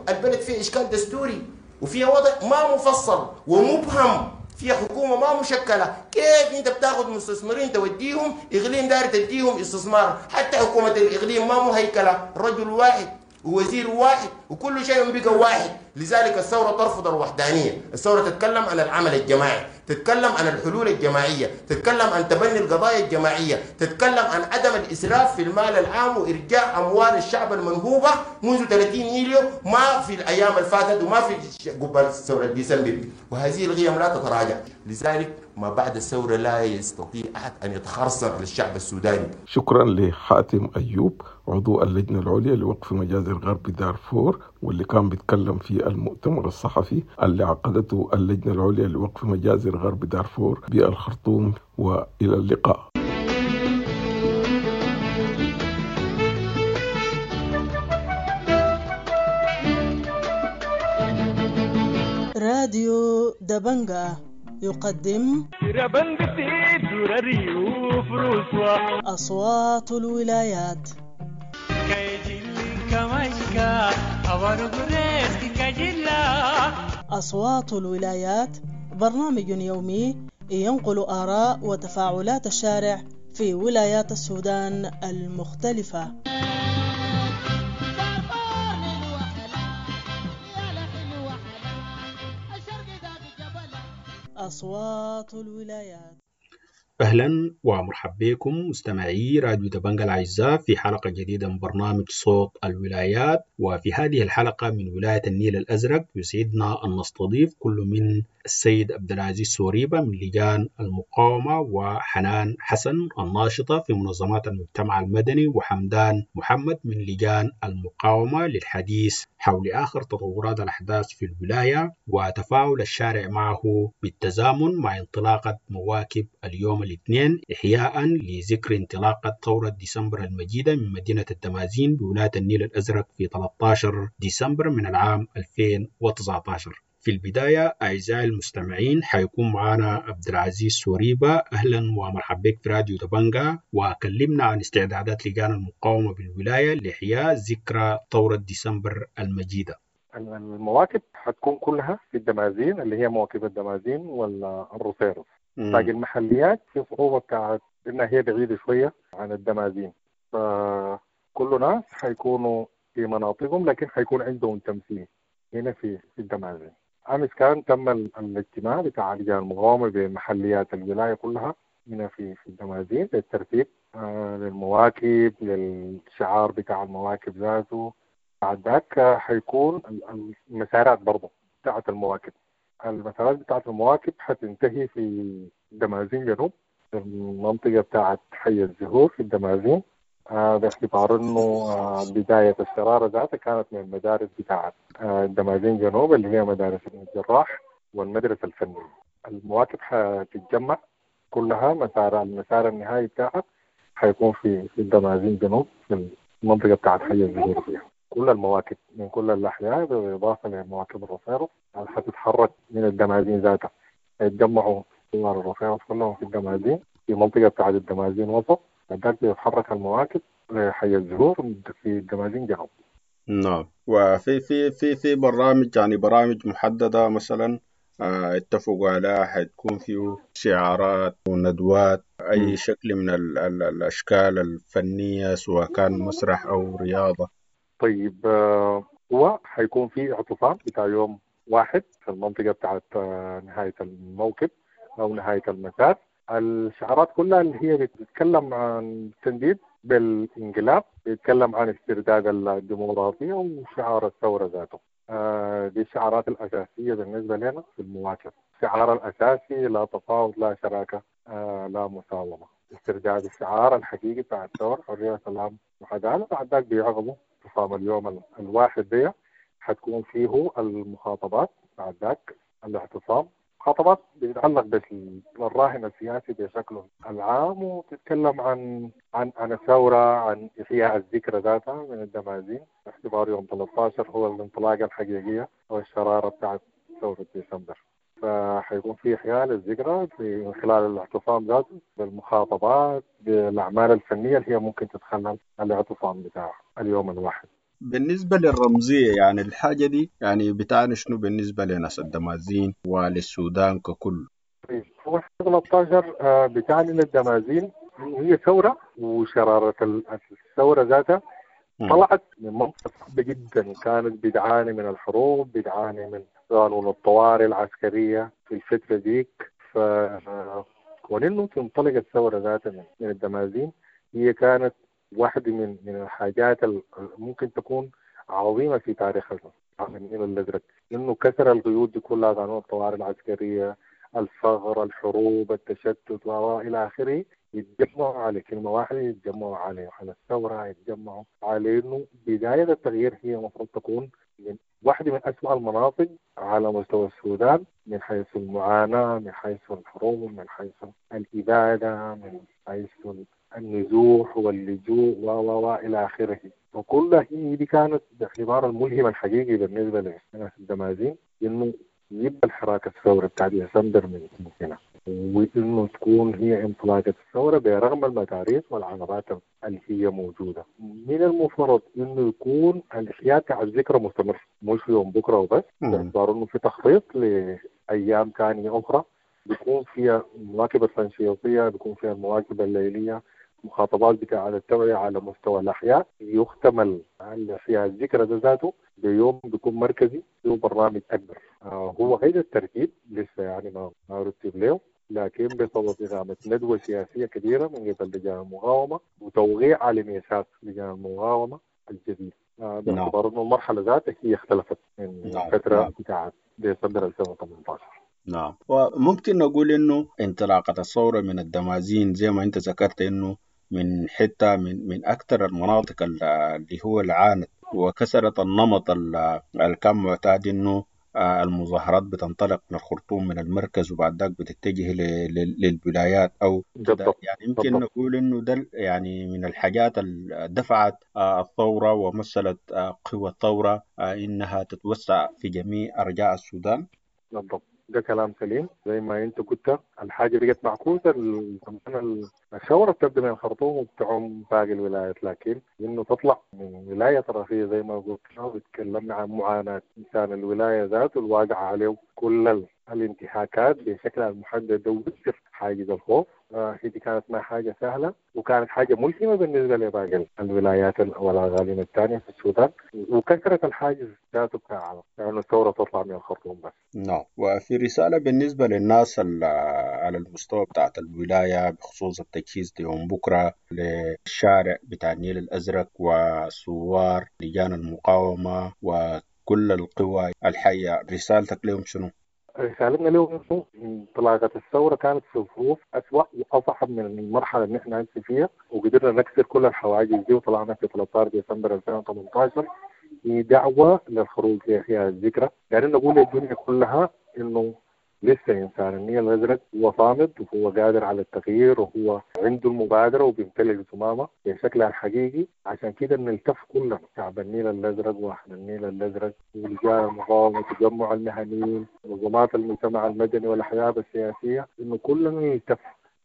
البلد فيه إشكال دستوري وفيها وضع ما مفصل ومبهم، فيها حكومة ما مشكلة، كيف أنت بتاخذ مستثمرين توديهم إقليم داير تديهم استثمار، حتى حكومة الإقليم ما مهيكلة، رجل واحد ووزير واحد وكل شيء بقى واحد. لذلك الثورة ترفض الوحدانية، الثورة تتكلم عن العمل الجماعي، تتكلم عن الحلول الجماعية، تتكلم عن تبني القضايا الجماعية، تتكلم عن عدم الإسراف في المال العام وإرجاع أموال الشعب المنهوبة منذ ثلاثين يوليو ما في الأيام اللي فاتت وما في قبل ثورة ديسمبر، وهذه القيم لا تتراجع. لذلك ما بعد الثورة لا يستطيع أحد أن يتخرصن على الشعب السوداني. شكرا لحاتم أيوب عضو اللجنة العليا لوقف مجازر غرب دارفور، واللي كان بيتكلم في المؤتمر الصحفي اللي عقدته اللجنة العليا لوقف مجازر غرب دارفور بالخرطوم. وإلى اللقاء. راديو دبنجا يقدم أصوات الولايات. أصوات الولايات برنامج يومي ينقل آراء وتفاعلات الشارع في ولايات السودان المختلفة. أصوات الولايات. أهلا ومرحبا بكم مستمعي راديو دبنجا الأعزاء في حلقة جديدة من برنامج صوت الولايات. وفي هذه الحلقة من ولاية النيل الأزرق يسعدنا أن نستضيف كل من السيد عبد العزيز سوريبا من لجان المقاومة، وحنان حسن الناشطة في منظمات المجتمع المدني، وحمدان محمد من لجان المقاومة للحديث حول آخر تطورات الأحداث في الولاية وتفاعل الشارع معه بالتزامن مع انطلاقة مواكب اليوم الاثنين إحياء لذكر انطلاقة ثورة ديسمبر المجيدة من مدينة الدمازين بولاية النيل الأزرق في ثلاثة عشر ديسمبر من العام ألفين وتسعة عشر. في البداية أعزائي المستمعين حيكون معنا عبد العزيز سوريبا. أهلا ومرحبا بك في راديو دبنجا، وكلمنا عن استعدادات لجان المقاومة بالولاية لإحياء ذكرى ثورة ديسمبر المجيدة. المواكب حتكون كلها في الدمازين اللي هي مواكب الدمازين والرصيرص. باقي المحليات في صعوبة بتاعت إنها هي بعيدة شوية عن الدمازين، فكل ناس حيكونوا في مناطقهم لكن حيكون عندهم تمثيل هنا في الدمازين. أمس كان تم الاجتماع بتاع لجان المقاومة بمحليات الولاية كلها هنا في في الدمازين للترتيب آه للمواكب، للشعار بتاع المواكب ذاته. بعد ذاك حيكون المسارات برضه بتاعت المواكب. المسارات بتاعت المواكب حتنتهي في الدمازين جنوب، المنطقة بتاعت حي الزهور في الدمازين، آه باعتبار انه آه بداية الشرارة ذاتها كانت من المدارس بتاعت آه الدمازين جنوب اللي هي مدارس ابن الجراح والمدرسة الفنية. المواكب حتتجمع كلها، مسار المسار النهائي بتاعها حيكون في في الدمازين جنوب في المنطقة بتاعت حي الزهور فيها. كل المواكب من كل الأحياء بالإضافة لمواكب الرصيرص حتتحرك من الدمازين ذاتها، يتجمعوا ثوار الرصيرص كلهم في الدمازين في منطقة بتاعت الدمازين وسط، بعدك بيتحرك المواكب لحي الزهور في الدمازين جنوب. نعم، وفي في في في برامج، يعني برامج محددة مثلا آه اتفقوا عليها حتكون فيه شعارات وندوات، أي م. شكل من ال ال الأشكال الفنية سواء كان مسرح أو رياضة. طيب هو حيكون في اعتصام بتاع يوم واحد في المنطقة بتاعت نهاية الموكب أو نهاية المسار. الشعارات كلها اللي هي بتتكلم عن التنديد بالانقلاب، بيتكلم عن استرداد الديمقراطية وشعار الثورة ذاته. دي الشعارات الأساسية بالنسبة لنا في المواكب. الشعار الأساسي لا تفاوض، لا شراكة، لا مساومة. استرداد الشعار الحقيقي بتاع الثورة، حرية سلام وعدالة. بعد ذاك بيعقبوا اعتصام اليوم الواحد دي حتكون فيه المخاطبات، بعد ذاك الاعتصام. مخاطبات بتتعلق بالراهن السياسي بشكله العام، وتتكلم عن عن عن الثورة، عن إحياء الذكرى ذاتها من الدمازين باعتبار يوم ثلاثة عشر هو الانطلاقة الحقيقية أو الشرارة بتاعت ثورة ديسمبر. فحيكون في إحياء للذكرى من خلال الاعتصام ذاته، بالمخاطبات، بالأعمال الفنية اللي هي ممكن تتخلل الاعتصام بتاع اليوم الواحد. بالنسبة للرمزية، يعني الحاجة دي يعني بتعني شنو بالنسبة لناس الدمازين وللسودان ككل؟ طيب، هو ثلاثة عشر بتعني للدمازين هي ثورة، وشرارة الثورة ذاتها طلعت من منطقة صعبة جدا، كانت بتعاني من الحروب، بتعاني من قانون الطوارئ العسكرية في الفترة ديك. ف كون تنطلق الثورة ذاتها من الدمازين هي كانت واحدة من من الحاجات اللي ممكن تكون عظيمة في تاريخ النيل الأزرق، إنه كسر القيود دي كلها، قانون الطوارئ العسكرية، الفقر، الحروب، التشتت وإلى آخره. يتجمعوا على كلمة واحدة، يتجمعوا على على الثورة، يتجمعوا على إنه بداية التغيير هي المفروض تكون من واحدة من أسوأ المناطق على مستوى السودان، من حيث المعاناة، من حيث الحروب، من حيث الإبادة، من حيث النزوح واللجوء و و إلى آخره. وكلها هي دي كانت باعتبار الملهم الحقيقي بالنسبة لناس الدمازين، إنه يبقى الحراك الثوري بتاع ديسمبر من هنا، وإنه تكون هي انطلاقة الثورة برغم المتاريس والعقبات اللي هي موجودة. من المفترض إنه يكون الإحياء تاع الذكرى مستمر، مش يوم بكرة وبس، باعتبار إنه في تخطيط لأيام ثانية أخرى بيكون فيها المواكب التنشيطية، بيكون فيها المواكب الليلية، مخاطبات بتاع التوعية على مستوى الأحياء. يختم الإحياء الذكرى ده ذاته بيوم بيكون مركزي فيه برنامج أكبر. آه هو غير الترتيب لسه، يعني ما رتب له، لكن بسبب إقامة ندوة سياسية كبيرة من قبل لجان المقاومة وتوقيع على ميثاق لجان المقاومة الجديد، باعتبار أنه المرحلة ذاتها هي اختلفت من الفترة بتاعت ديسمبر ألفين وثمانية عشر. نعم، وممكن نقول إنه انطلاقة الثورة من الدمازين زي ما أنت ذكرت إنه من حتة من من أكثر المناطق اللي هو العانت وكسرت النمط اللي كان معتاد إنه المظاهرات بتنطلق من الخرطوم من المركز وبعد ذاك بتتجه للولايات أو كده. يعني يمكن نقول إنه ده يعني من الحاجات اللي دفعت الثورة ومثلت قوى الثورة إنها تتوسع في جميع أرجاء السودان. بالضبط، ده كلام سليم. زي ما انت قلت الحاجة بقت معكوسة، الثورة بتبدا من الخرطوم وبتعم باقي الولايات، لكن انه تطلع من ولاية طرفيه زي ما قلت وتكلمنا عن معاناة انسان الولاية ذاته الواقعة عليه كل الانتهاكات بشكلها المحدد وبتصير حاجز الخوف. آه دي كانت ما حاجة سهلة وكانت حاجة ملهمة بالنسبة لباقي الولايات والاقاليم الثانية في السودان، وكثرة الحاجز ذاته بتاع لانه الثورة تطلع من الخرطوم بس. نعم، وفي رسالة بالنسبة للناس على المستوى بتاعت الولاية بخصوص التجهيز ليوم بكره للشارع بتاع النيل الازرق وثوار لجان المقاومة وكل القوى الحية، رسالتك لهم شنو؟ رسالتنا لهم انه انطلاقة الثورة كانت في ظروف اسوء واصعب من المرحلة اللي احنا فيها، وقدرنا نكسر كل الحواجز دي وطلعنا في ثلاثة عشر ديسمبر ألفين وثمانية عشر دعوه للخروج لاحياء الذكرى. يعني نقول للدنيا كلها انه لسه انسان النيل الازرق هو صامد وهو قادر على التغيير وهو عنده المبادرة وبيمتلك زمامه بشكلها الحقيقي. عشان كده بنلتف كلنا شعب النيل الازرق واهل النيل الازرق ولجان المقاومة، تجمع المهنيين، منظمات المجتمع المدني والاحزاب السياسية، انه كلنا نلتف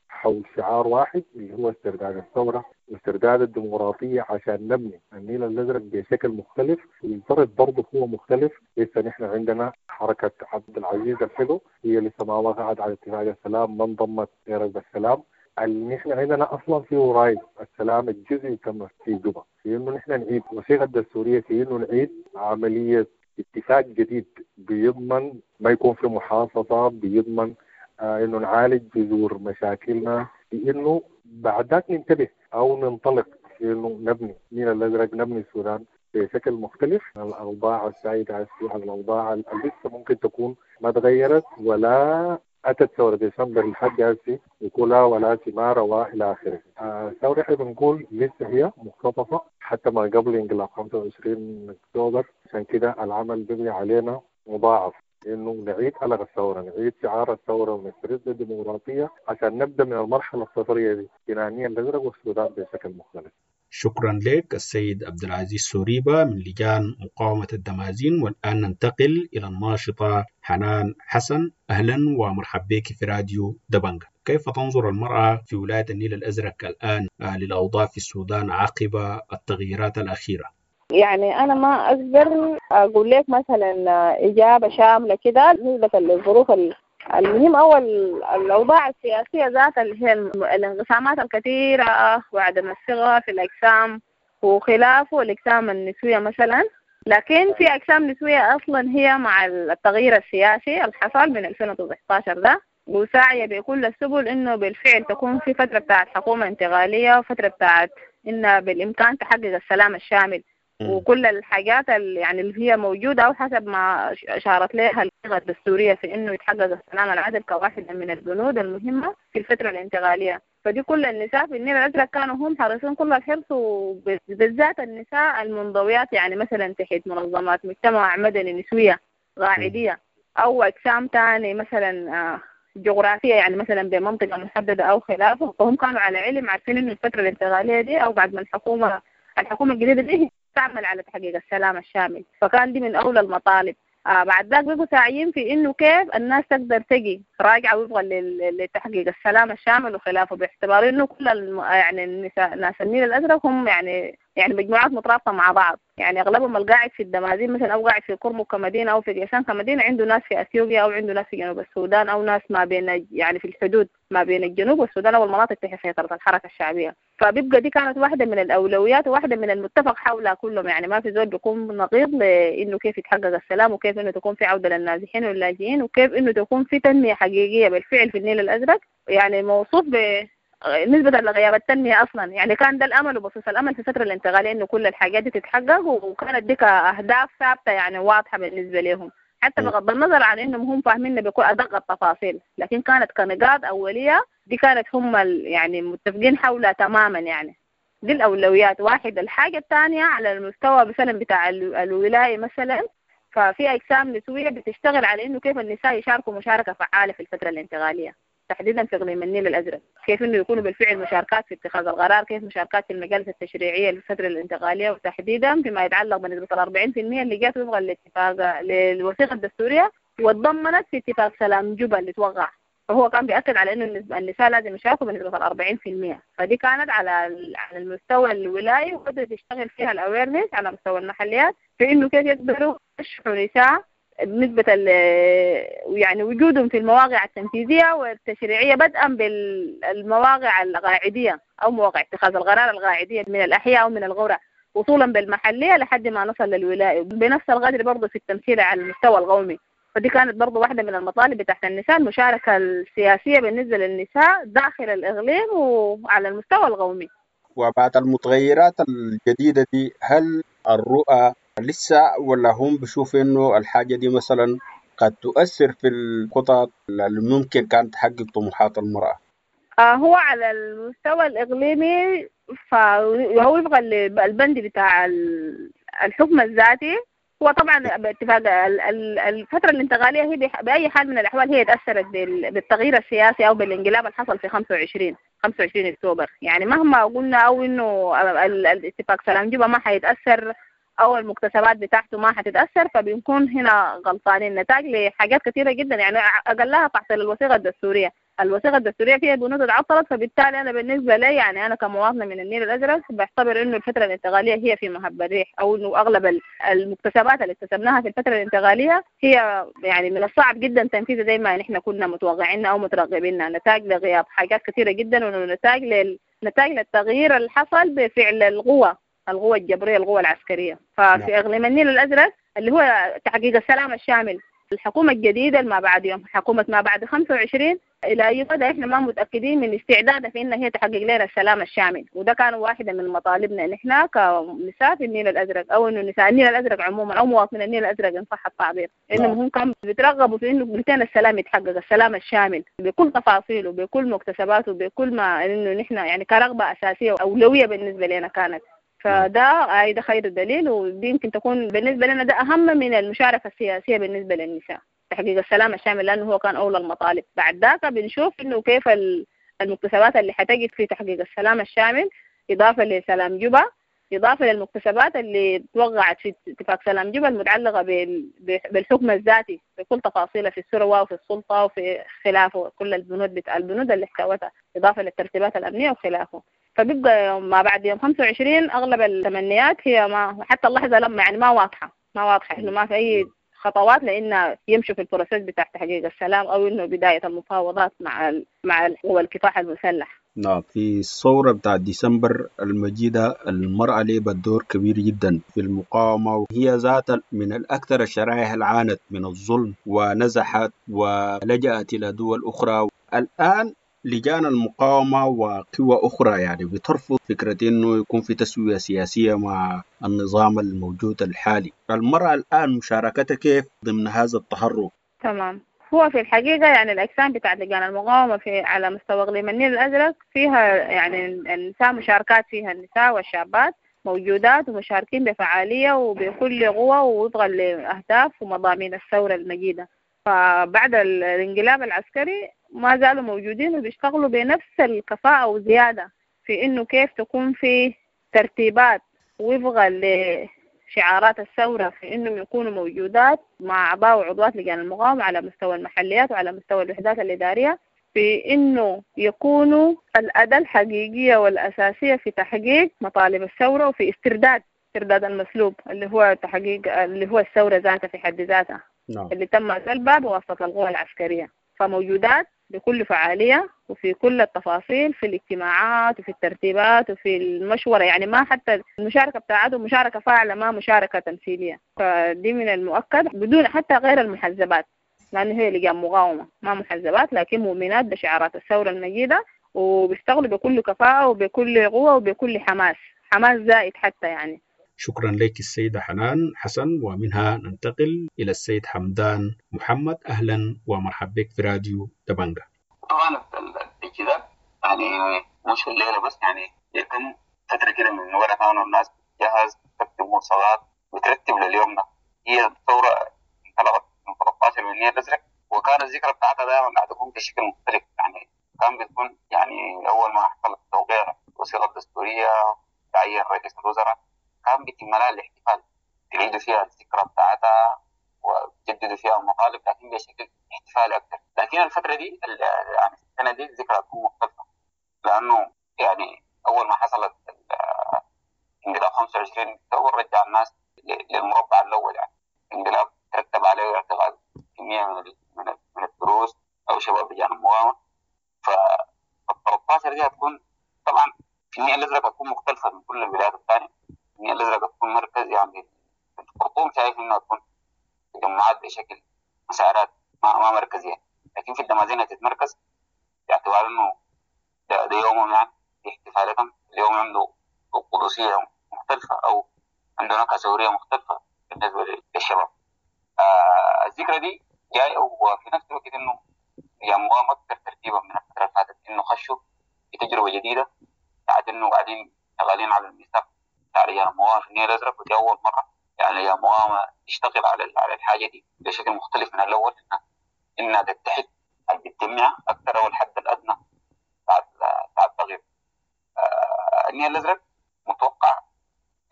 حول شعار واحد اللي هو استرداد الثورة واسترداد الديمقراطية عشان نبني النيل الازرق بشكل مختلف. والفرد برضه هو مختلف، لسه نحن عندنا حركة عبد العزيز الحلو هي لسه ما وقعت على اتفاق السلام، ما انضمت لركب السلام. اللي نحن عندنا اصلا في وراي السلام الجزئي تم في جوبا، في انه نحن نعيد وثيقة الدستورية، في انه نعيد عملية اتفاق جديد بيضمن ما يكون في محاصصه، بيضمن آه انه نعالج جذور مشاكلنا، في انه بعد ذاك ننتبه او ننطلق في انه نبني النيل الازرق، نبني السودان بشكل مختلف. الاوضاع السائدة على الاوضاع اللي لسه ممكن تكون ما تغيرت ولا اتت ثورة ديسمبر لحد هسه وكلها ولا ثمار والى اخره. الثورة احنا بنقول لسه هي مختطفه حتى ما قبل انقلاب خمسة وعشرين اكتوبر، عشان كده العمل بيبني علينا مضاعف انه نعيد قلق الثورة، نعيد شعار الثورة ونسترد الديمقراطية عشان نبدا من المرحلة الصفريه دي بناء النيل الازرق والسودان بشكل مختلف. شكرا لك السيد عبد العزيز سوريبا من لجان مقاومة الدمازين. والآن ننتقل إلى الناشطة حنان حسن. أهلا ومرحبا بك في راديو دبنجا. كيف تنظر المرأة في ولاية النيل الأزرق الآن للأوضاع في السودان عقب التغييرات الأخيرة؟ يعني أنا ما أقدر أقول لك مثلا إجابة شاملة كده نسبة للظروف. المهم أول الأوضاع السياسية ذاتها اللي هي الانقسامات الكثيرة وعدم الثقة في الأجسام وخلافه الأجسام النسوية مثلا، لكن في أجسام نسوية أصلا هي مع التغيير السياسي اللي حصل من ألفين وتسعة عشر ده وساعية بكل السبل إنه بالفعل تكون في فترة بتاعت حكومة انتقالية وفترة بتاعت إن بالإمكان تحقق السلام الشامل وكل الحاجات اللي يعني اللي هي موجودة أو حسب ما أشارت لها الصيغة الدستورية في إنه يتحقق السلام العادل كواحدة من البنود المهمة في الفترة الانتقالية. فدي كل النساء في النيل الأزرق كانوا هم حريصين كل الحرص، وبالذات النساء المنضويات يعني مثلا تحت منظمات مجتمع مدني نسوية قاعدية أو أجسام تاني مثلا جغرافية يعني مثلا بمنطقة محددة أو خلافه، فهم كانوا على علم عارفين إنه الفترة الانتقالية دي أو بعد ما الحكومة الحكومة الجديدة دي تعمل على تحقيق السلام الشامل، فكان دي من أولى المطالب. آه بعد ذاك بيبقوا ساعيين في إنه كيف الناس تقدر تجي راجعة وفقا لتحقيق السلام الشامل وخلافه، باعتبار إنه كل الم... يعني النساء ناس النيل الأزرق هم يعني يعني مجموعات مترابطة مع بعض، يعني أغلبهم القاعد في الدمازين مثلا أو قاعد في كرمك كمدينة أو في قيسان كمدينة عنده ناس في أثيوبيا أو عنده ناس في جنوب السودان أو ناس ما بين يعني في الحدود ما بين الجنوب والسودان أو المناطق تحت سيطرة الحركة الشعبية. فبيبقى دي كانت واحدة من الأولويات وواحدة من المتفق حولها كلهم، يعني ما في زول بيكون نقيض لإنه كيف يتحقق السلام وكيف إنه تكون في عودة للنازحين واللاجئين وكيف إنه تكون في تنمية حقيقية بالفعل في النيل الأزرق، يعني موصوف ب نسبة لغياب التنمية أصلا. يعني كان ده الأمل وبصيص الأمل في الفترة الانتقالية إنه كل الحاجات دي تتحقق، وكانت دي كأهداف ثابتة يعني واضحة بالنسبة لهم، حتى بغض النظر عن إنهم هم فاهمين بكل أدق التفاصيل، لكن كانت كنقاط أولية دي كانت هم يعني متفقين حولها تماما. يعني دي الأولويات واحد. الحاجة الثانية على المستوى مثلا بتاع الولاية مثلا، ففي أجسام نسوية بتشتغل على إنه كيف النساء يشاركوا مشاركة فعالة في الفترة الانتقالية تحديدا في اقليم النيل الازرق، كيف انه يكونوا بالفعل مشاركات في اتخاذ القرار، كيف مشاركات في المجالس التشريعيه للفتره الانتقاليه، وتحديدا فيما يتعلق بنسبه ال أربعين بالمئة اللي جات وفقا للاتفاق للوثيقه الدستوريه وتضمنت في اتفاق سلام جوبا اللي توقع. فهو كان بيأكد على انه النساء لازم يشاركوا بنسبه ال أربعين بالمئة. فدي كانت على على المستوى الولائي، وبدأت تشتغل فيها ال awareness على مستوى المحليات في انه كيف يقدروا يرشحوا نساء بنسبة يعني وجودهم في المواقع التنفيذية والتشريعية، بدءا بالمواقع القاعدية أو مواقع اتخاذ القرار القاعدية من الأحياء أو من القرى، وصولا بالمحلية لحد ما نصل للولاية، بنفس القدر برضه في التمثيل على المستوى القومي. فدي كانت برضه واحدة من المطالب بتاعت النساء، المشاركة السياسية بالنسبة للنساء داخل الإقليم وعلى المستوى القومي. وبعد المتغيرات الجديدة دي، هل الرؤى لسه ولا هم بيشوفوا إنه الحاجة دي مثلا قد تؤثر في الخطط اللي ممكن كانت تحقق طموحات المرأة؟ آه هو على المستوى الإقليمي فهو وفق البند بتاع الحكم الذاتي، هو طبعا باتفاق الفترة الانتقالية هي بأي حال من الأحوال هي تأثرت بالتغيير السياسي أو بالانقلاب اللي حصل في خمسة وعشرين خمسة وعشرين أكتوبر. يعني مهما قلنا أو إنه الاتفاق سلام جوبا ما حيتأثر أو المكتسبات بتاعته ما حتتأثر، فبنكون هنا غلطانين. نتاج لحاجات كثيرة جدا، يعني أقلها تعطيل الوثيقة الدستورية. الوثيقة الدستورية فيها بنود اتعطلت، فبالتالي أنا بالنسبة لي يعني أنا كمواطنة من النيل الأزرق بعتبر إنه الفترة الانتقالية هي في مهب الريح، أو إنه أغلب المكتسبات اللي اكتسبناها في الفترة الانتقالية هي يعني من الصعب جدا تنفيذها زي ما نحن كنا متوقعينها أو مترغبينها، نتاج لغياب حاجات كثيرة جدا، ونتاج لل... نتاج للتغيير اللي حصل بفعل القوة القوة الجبرية القوة العسكرية. ففي إقليم النيل الأزرق اللي هو تحقيق السلام الشامل، الحكومة الجديدة ما بعد يوم حكومة ما بعد خمسة وعشرين إلى أي مدى إحنا ما متأكدين من استعدادها في إن هي تحقق لنا السلام الشامل، وده كان واحدة من مطالبنا نحن كنساء في النيل الأزرق، أو إنه نساء النيل الأزرق عموما أو مواطنين النيل الأزرق إن صح التعبير، إنهم هم كانوا بيترغبوا في إنه متين السلام يتحقق، السلام الشامل بكل تفاصيله بكل مكتسباته بكل ما إنه نحن يعني كرغبة أساسية وأولوية بالنسبة لنا كانت. فده ده خير الدليل، ودي يمكن تكون بالنسبة لنا ده أهم من المشاركة السياسية بالنسبة للنساء، تحقيق السلام الشامل، لأنه هو كان أولى المطالب. بعد ذاك بنشوف إنه كيف المكتسبات اللي حتجي في تحقيق السلام الشامل، إضافة لسلام جوبا، إضافة للمكتسبات اللي توقعت في اتفاق سلام جوبا المتعلقة بالحكم الذاتي بكل تفاصيله في الثروة وفي السلطة وفي خلافه، كل البنود بتاع البنود اللي احتوتها، إضافة للترتيبات الأمنية وخلافه. فبيبقى ما بعد يوم خمسة وعشرين أغلب التمنيات هي ما حتى اللحظة لما يعني ما واضحة ما واضحة إنه ما في أي خطوات لأن يمشوا في ال process بتاع تحقيق السلام أو إنه بداية المفاوضات مع ال مع قوى الكفاح المسلح. نعم، في الثورة بتاع ديسمبر المجيدة المرأة لعبت دور كبير جدا في المقاومة، وهي ذات من الأكثر الشرائح اللي عانت من الظلم ونزحت ولجأت إلى دول أخرى. الآن لجان المقاومة وقوى أخرى يعني بترفض فكرة إنه يكون في تسوية سياسية مع النظام الموجود الحالي. المرأة الآن مشاركتها كيف ضمن هذا التحرك؟ تمام، هو في الحقيقة يعني الأجسام بتاعت لجان المقاومة في على مستوى إقليم النيل الأزرق فيها يعني النساء مشاركات، فيها النساء والشابات موجودات ومشاركين بفعالية وبكل قوة ووفقا لأهداف ومضامين الثورة المجيدة. فبعد الانقلاب العسكري ما زالوا موجودين وبيشتغلوا بنفس الكفاءة وزيادة في إنه كيف تكون في ترتيبات وفقا لشعارات الثورة في إنهم يكونوا موجودات مع أعضاء وعضوات لجان المقاومة على مستوى المحليات وعلى مستوى الوحدات الإدارية، في إنه يكونوا الأداة الحقيقية والأساسية في تحقيق مطالب الثورة وفي استرداد استرداد المسلوب اللي هو تحقيق اللي هو الثورة ذاتها في حد ذاتها. نعم. اللي تم سلبها بواسطة القوى العسكرية، فموجودات بكل فعالية وفي كل التفاصيل، في الاجتماعات وفي الترتيبات وفي المشورة، يعني ما حتى المشاركة بتاعتهم مشاركة فاعلة ما مشاركة تمثيلية، فدي من المؤكد بدون حتى غير المحزبات، لأنه هي لجان مقاومة ما محزبات، لكن مؤمنات بشعارات الثورة المجيدة وبيشتغلوا بكل كفاءة وبكل قوة وبكل حماس، حماس زائد حتى يعني. شكرا لك السيدة حنان حسن، ومنها ننتقل إلى السيد حمدان محمد. أهلا ومرحبا بك في راديو دبنجة. طبعا التجهيزات يعني مش الليلة بس، يعني يتم فترة كده من ورا كانوا الناس بتجهز تكتب مرسلات وترتب لليوم ده. هي الثورة انطلقت من ثلاثة عشر من النيل الأزرق، وكان الذكرى بتاعتها دائما قاعدة تكون بشكل مختلف، يعني كان بتكون يعني أول ما حصل التوقيع الوثيقة الدستورية تعيين رئيس الوزراء كان بيتم لها الاحتفال، تعيدوا فيها الذكرى بتاعتها وتجددوا فيها المطالب، لكن بشكل احتفالي أكثر. لكن الفترة دي يعني السنة دي الذكرى تكون مختلفة، لأنه يعني أول ما حصلت انقلاب خمسة وعشرين أكتوبر رجع الناس للمربع الأول، يعني انقلاب ترتب عليه اعتقاد كمية من من من الدروس أو شباب لجان المقاومة. ف ثلاثة عشر دي هتكون طبعا في النيل الأزرق هتكون مختلفة من كل الولايات الثانية. النيل الأزرق هتكون مركز، يعني الخرطوم شايف إنها تكون تجمعات بشكل مسارات ما ما مركزية، لكن في الدمازين هتتمركز باعتبار إنه ده, ده يومهم، يعني في احتفالاتهم اليوم عنده قدسية مختلفة أو عنده نكهة ثورية مختلفة بالنسبة للشباب. آه الذكرى دي جاية، وفي نفس الوقت إنه هي مقاومة أكثر ترتيبا من الفترة اللي فاتت، إنه خشوا في تجربة جديدة بعد إنه قاعدين شغالين على الميثاق بتاع رجال المقاومة في النيل الأزرق، ودي أول مرة يعني يا مقاومة تشتغل على على الحاجة دي بشكل مختلف من الأول، إنها إنها تتحد بتجمع أكثر أو الحد الأدنى بعد بعد التغيير. آه النيل الأزرق متوقع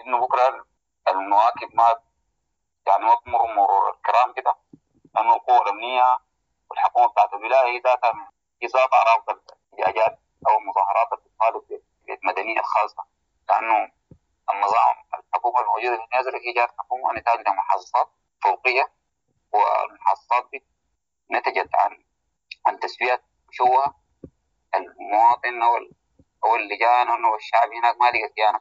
إنه بكرة المواكب ما يعني ما تمر مرور الكرام كده، لأنه القوى الأمنية والحكومة بتاعت الولاية هي ذاتها هي ذاتها رافضة الاحتجاجات أو المظاهرات اللي بتطالب بالمدنية الخاصة، لأنه النظام الحكومة الموجودة في النيل الأزرق هي جات حكومة نتاج لمحاصصات فوقية، والمحاصصات دي نتجت عن عن تسويات مشوهة المواطن أو أو اللجان أو الشعب هناك ما لقى كيانة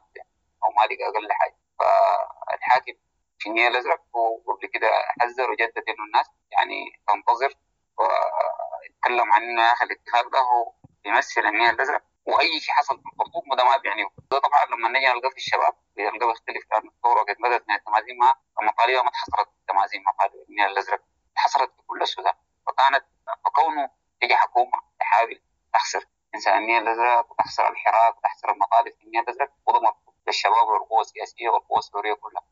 أو ما لقى أقل حاجة. فالحاكم في النيل الأزرق وقبل كده حذر وجدد إنه الناس يعني تنتظر، واتكلم عن إنه يا أخي الاتفاق ده هو بيمثل النيل الأزرق، وأي شيء حصل في الخرطوم وده ما بيعنيه. ده طبعا لما نجي نلقاه في الشباب بنلقاه بيختلف، لأن الثورة قد بدأت من التمازين، ما مطالبها ما اتحصرت في التمازين، مطالب النيل الأزرق اتحصرت في كل السودان. فكانت فكونه تيجي حكومة تحاول تحصر إنسان النيل الأزرق وتحصر الحراك وتحصر المطالب في النيل الأزرق، وده مرفوض للشباب والقوى السياسية والقوى الثورية كلها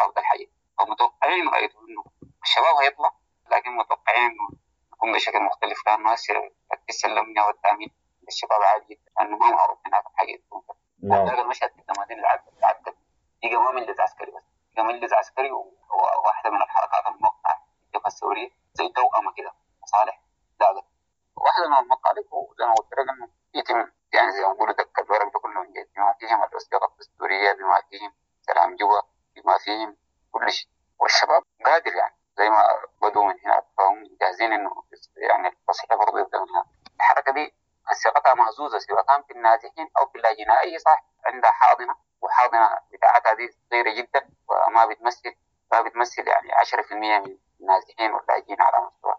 رافضة الحاجة. فمتوقعين غايته إنه الشباب هيطلع، لكن متوقعين إنه يكون بشكل مختلف، لأنه هسه الأمنية والتأمين للشباب عالي جدا، لأنه ما معروف هناك الحاجة تكون. نعم. المشهد في الدمازين العدل يجي ما مجلس عسكري بس، يجي مجلس عسكري وواحدة من الحركات الموقعة الجبهة الثورية زي توأمة كده مصالح لا واحدة من المطالب، وزي ما قلت لك إنه يتم يعني زي ما بيقولوا دك الورق ده كله من جد، بما فيهم الوثيقة الدستورية، بما فيهم سلام جوا، بما فيهم كل شيء. والشباب قادر يعني زي ما بدوا من هناك، فهم جاهزين إنه يعني التصحيح برضه يبدأ من هناك. الحركة دي صيغتها مهزوزة سواء كان في النازحين أو في اللاجئين، أي صح عندها حاضنة، وحاضنة بتاعتها دي صغيرة جدا وما بتمثل ما بتمثل يعني عشرة في المية من النازحين واللاجئين على مستوى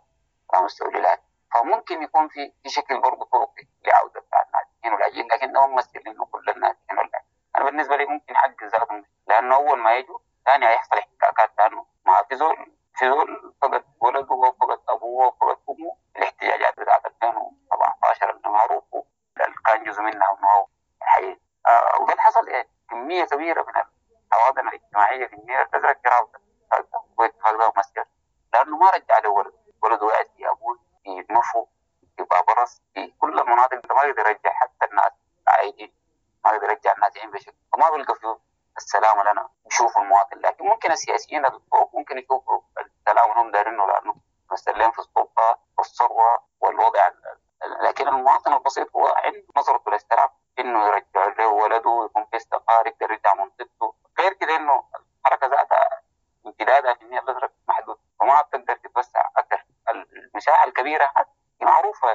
على مستوى الولايات. فممكن يكون في في شكل برضه طرقي لعودة بتاع النازحين واللاجئين، لكن ده ممثل إنه كل النازحين واللاجئين. أنا بالنسبة لي ممكن أعجز ذاتهم، لأنه أول ما يجوا ثاني هيحصل احتكاكات، لأنه ما في زول في زول فقد ولده وفقد أبوه وفقد أمه. الاحتجاجات بتاعت ألفين وسبعة عشر اللي معروف اللي كان جزء منها وإنه الحقيقة آه، وده اللي حصل إيه كمية كبيرة من الحواضن الاجتماعية في النيل الأزرق رافضة الاتفاق ده ممثل، لأنه ما رجع له ولده، ولده قاعد في أبوه في مفو في بابرس في كل المناطق، ما يقدر يرجع حتى الناس عايدين، ما يقدر يرجع النازحين بشكل، وما بيلقى فيه السلام لنا يشوفوا المواطن. لكن ممكن السياسيين الفوق ممكن يشوفوا السلام وهم دارينه، لأنه مستلين في السلطة والثروة والوضع، لكن المواطن البسيط هو عنده نظرته للسلام إنه يرجع له ولده ويكون في استقرار يقدر يرجع منطقته. غير كده إنه الكبيرة معروفة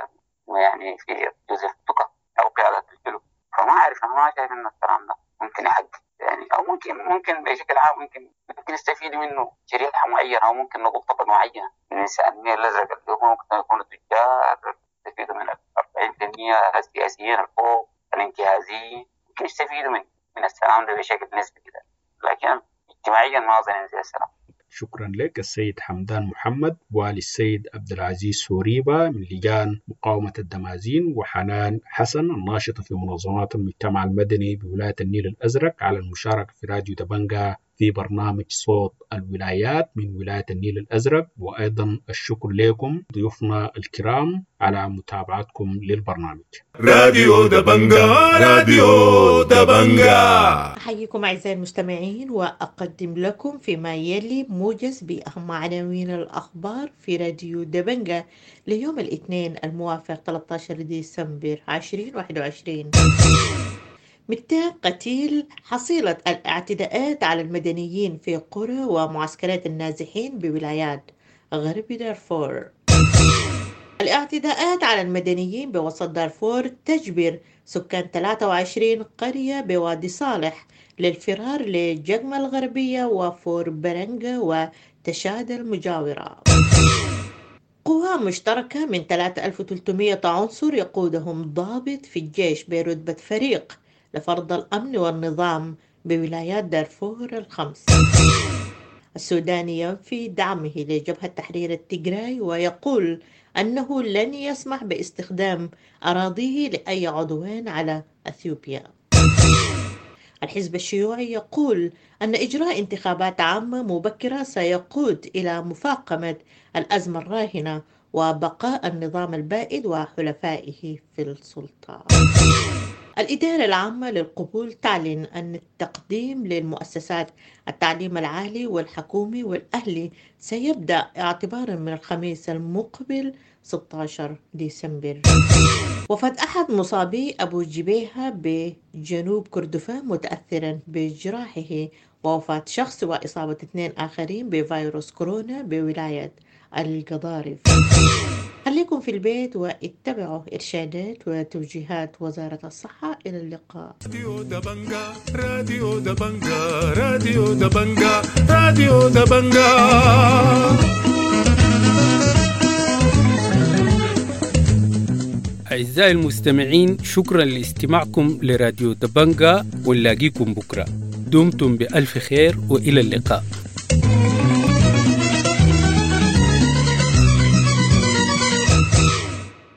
يعني في جوزيف توكا أو قيادة الجنوب. فما أعرف، أنا ما شايف إنه السلام ده ممكن يحقق يعني، أو ممكن ممكن بشكل عام ممكن ممكن يستفيد منه شريحة معينة، أو ممكن نقول طبقة معينة من النيل الأزرق اللي هم ممكن يكونوا تجار يستفيدوا من أربعين بالمئة السياسيين الفوق الانتهازيين، ممكن يستفيدوا من من السلام ده بشكل نسبي كده، لكن اجتماعيا ما أظن ينزل السلام. شكرا لك السيد حمدان محمد وللسيد عبد العزيز سوريبا من لجان مقاومة الدمازين، وحنان حسن الناشطة في منظمات المجتمع المدني بولاية النيل الأزرق على المشاركة في راديو دبنجا في برنامج صوت الولايات من ولاية النيل الأزرق. وأيضا الشكر لكم ضيوفنا الكرام على متابعتكم للبرنامج. راديو دبنجا، راديو دبنجا. أحييكم أعزائي المستمعين وأقدم لكم فيما يلي موجز بأهم عناوين الأخبار في راديو دبنجا ليوم الاثنين الموافق ثلاثة عشر ديسمبر عشرين واحد وعشرين. مئتين قتيل حصيلة الاعتداءات على المدنيين في قرى ومعسكرات النازحين بولايات غرب دارفور. الاعتداءات على المدنيين بوسط دارفور تجبر سكان ثلاثة وعشرين قرية بوادي صالح للفرار لجقمة الغربية وفور برنجة وتشاد المجاورة. قوى مشتركة من ثلاثة آلاف وثلاثمئة عنصر يقودهم ضابط في الجيش برتبة فريق لفرض الأمن والنظام بولايات دارفور الخمس. السوداني ينفي دعمه لجبهة تحرير التجراي ويقول أنه لن يسمح باستخدام أراضيه لأي عدوان على أثيوبيا. الحزب الشيوعي يقول أن إجراء انتخابات عامة مبكرة سيقود إلى مفاقمة الأزمة الراهنة وبقاء النظام البائد وحلفائه في السلطة. الإدارة العامة للقبول تعلن أن التقديم للمؤسسات التعليم العالي والحكومي والأهلي سيبدأ اعتبارا من الخميس المقبل ستة عشر ديسمبر. وفاة أحد مصابي أبو جبيهة بجنوب كردفان متأثرا بجراحه، ووفاة شخص وإصابة اثنين آخرين بفيروس كورونا بولاية القضارف. خليكم في البيت واتبعوا إرشادات وتوجيهات وزارة الصحة. إلى اللقاء. راديو دبنجا، راديو دبنجا، راديو دبنجا، راديو دبنجا. أعزائي المستمعين، شكرا لاستماعكم لراديو دبنجا، ونلاقيكم بكرة. دمتم بألف خير وإلى اللقاء.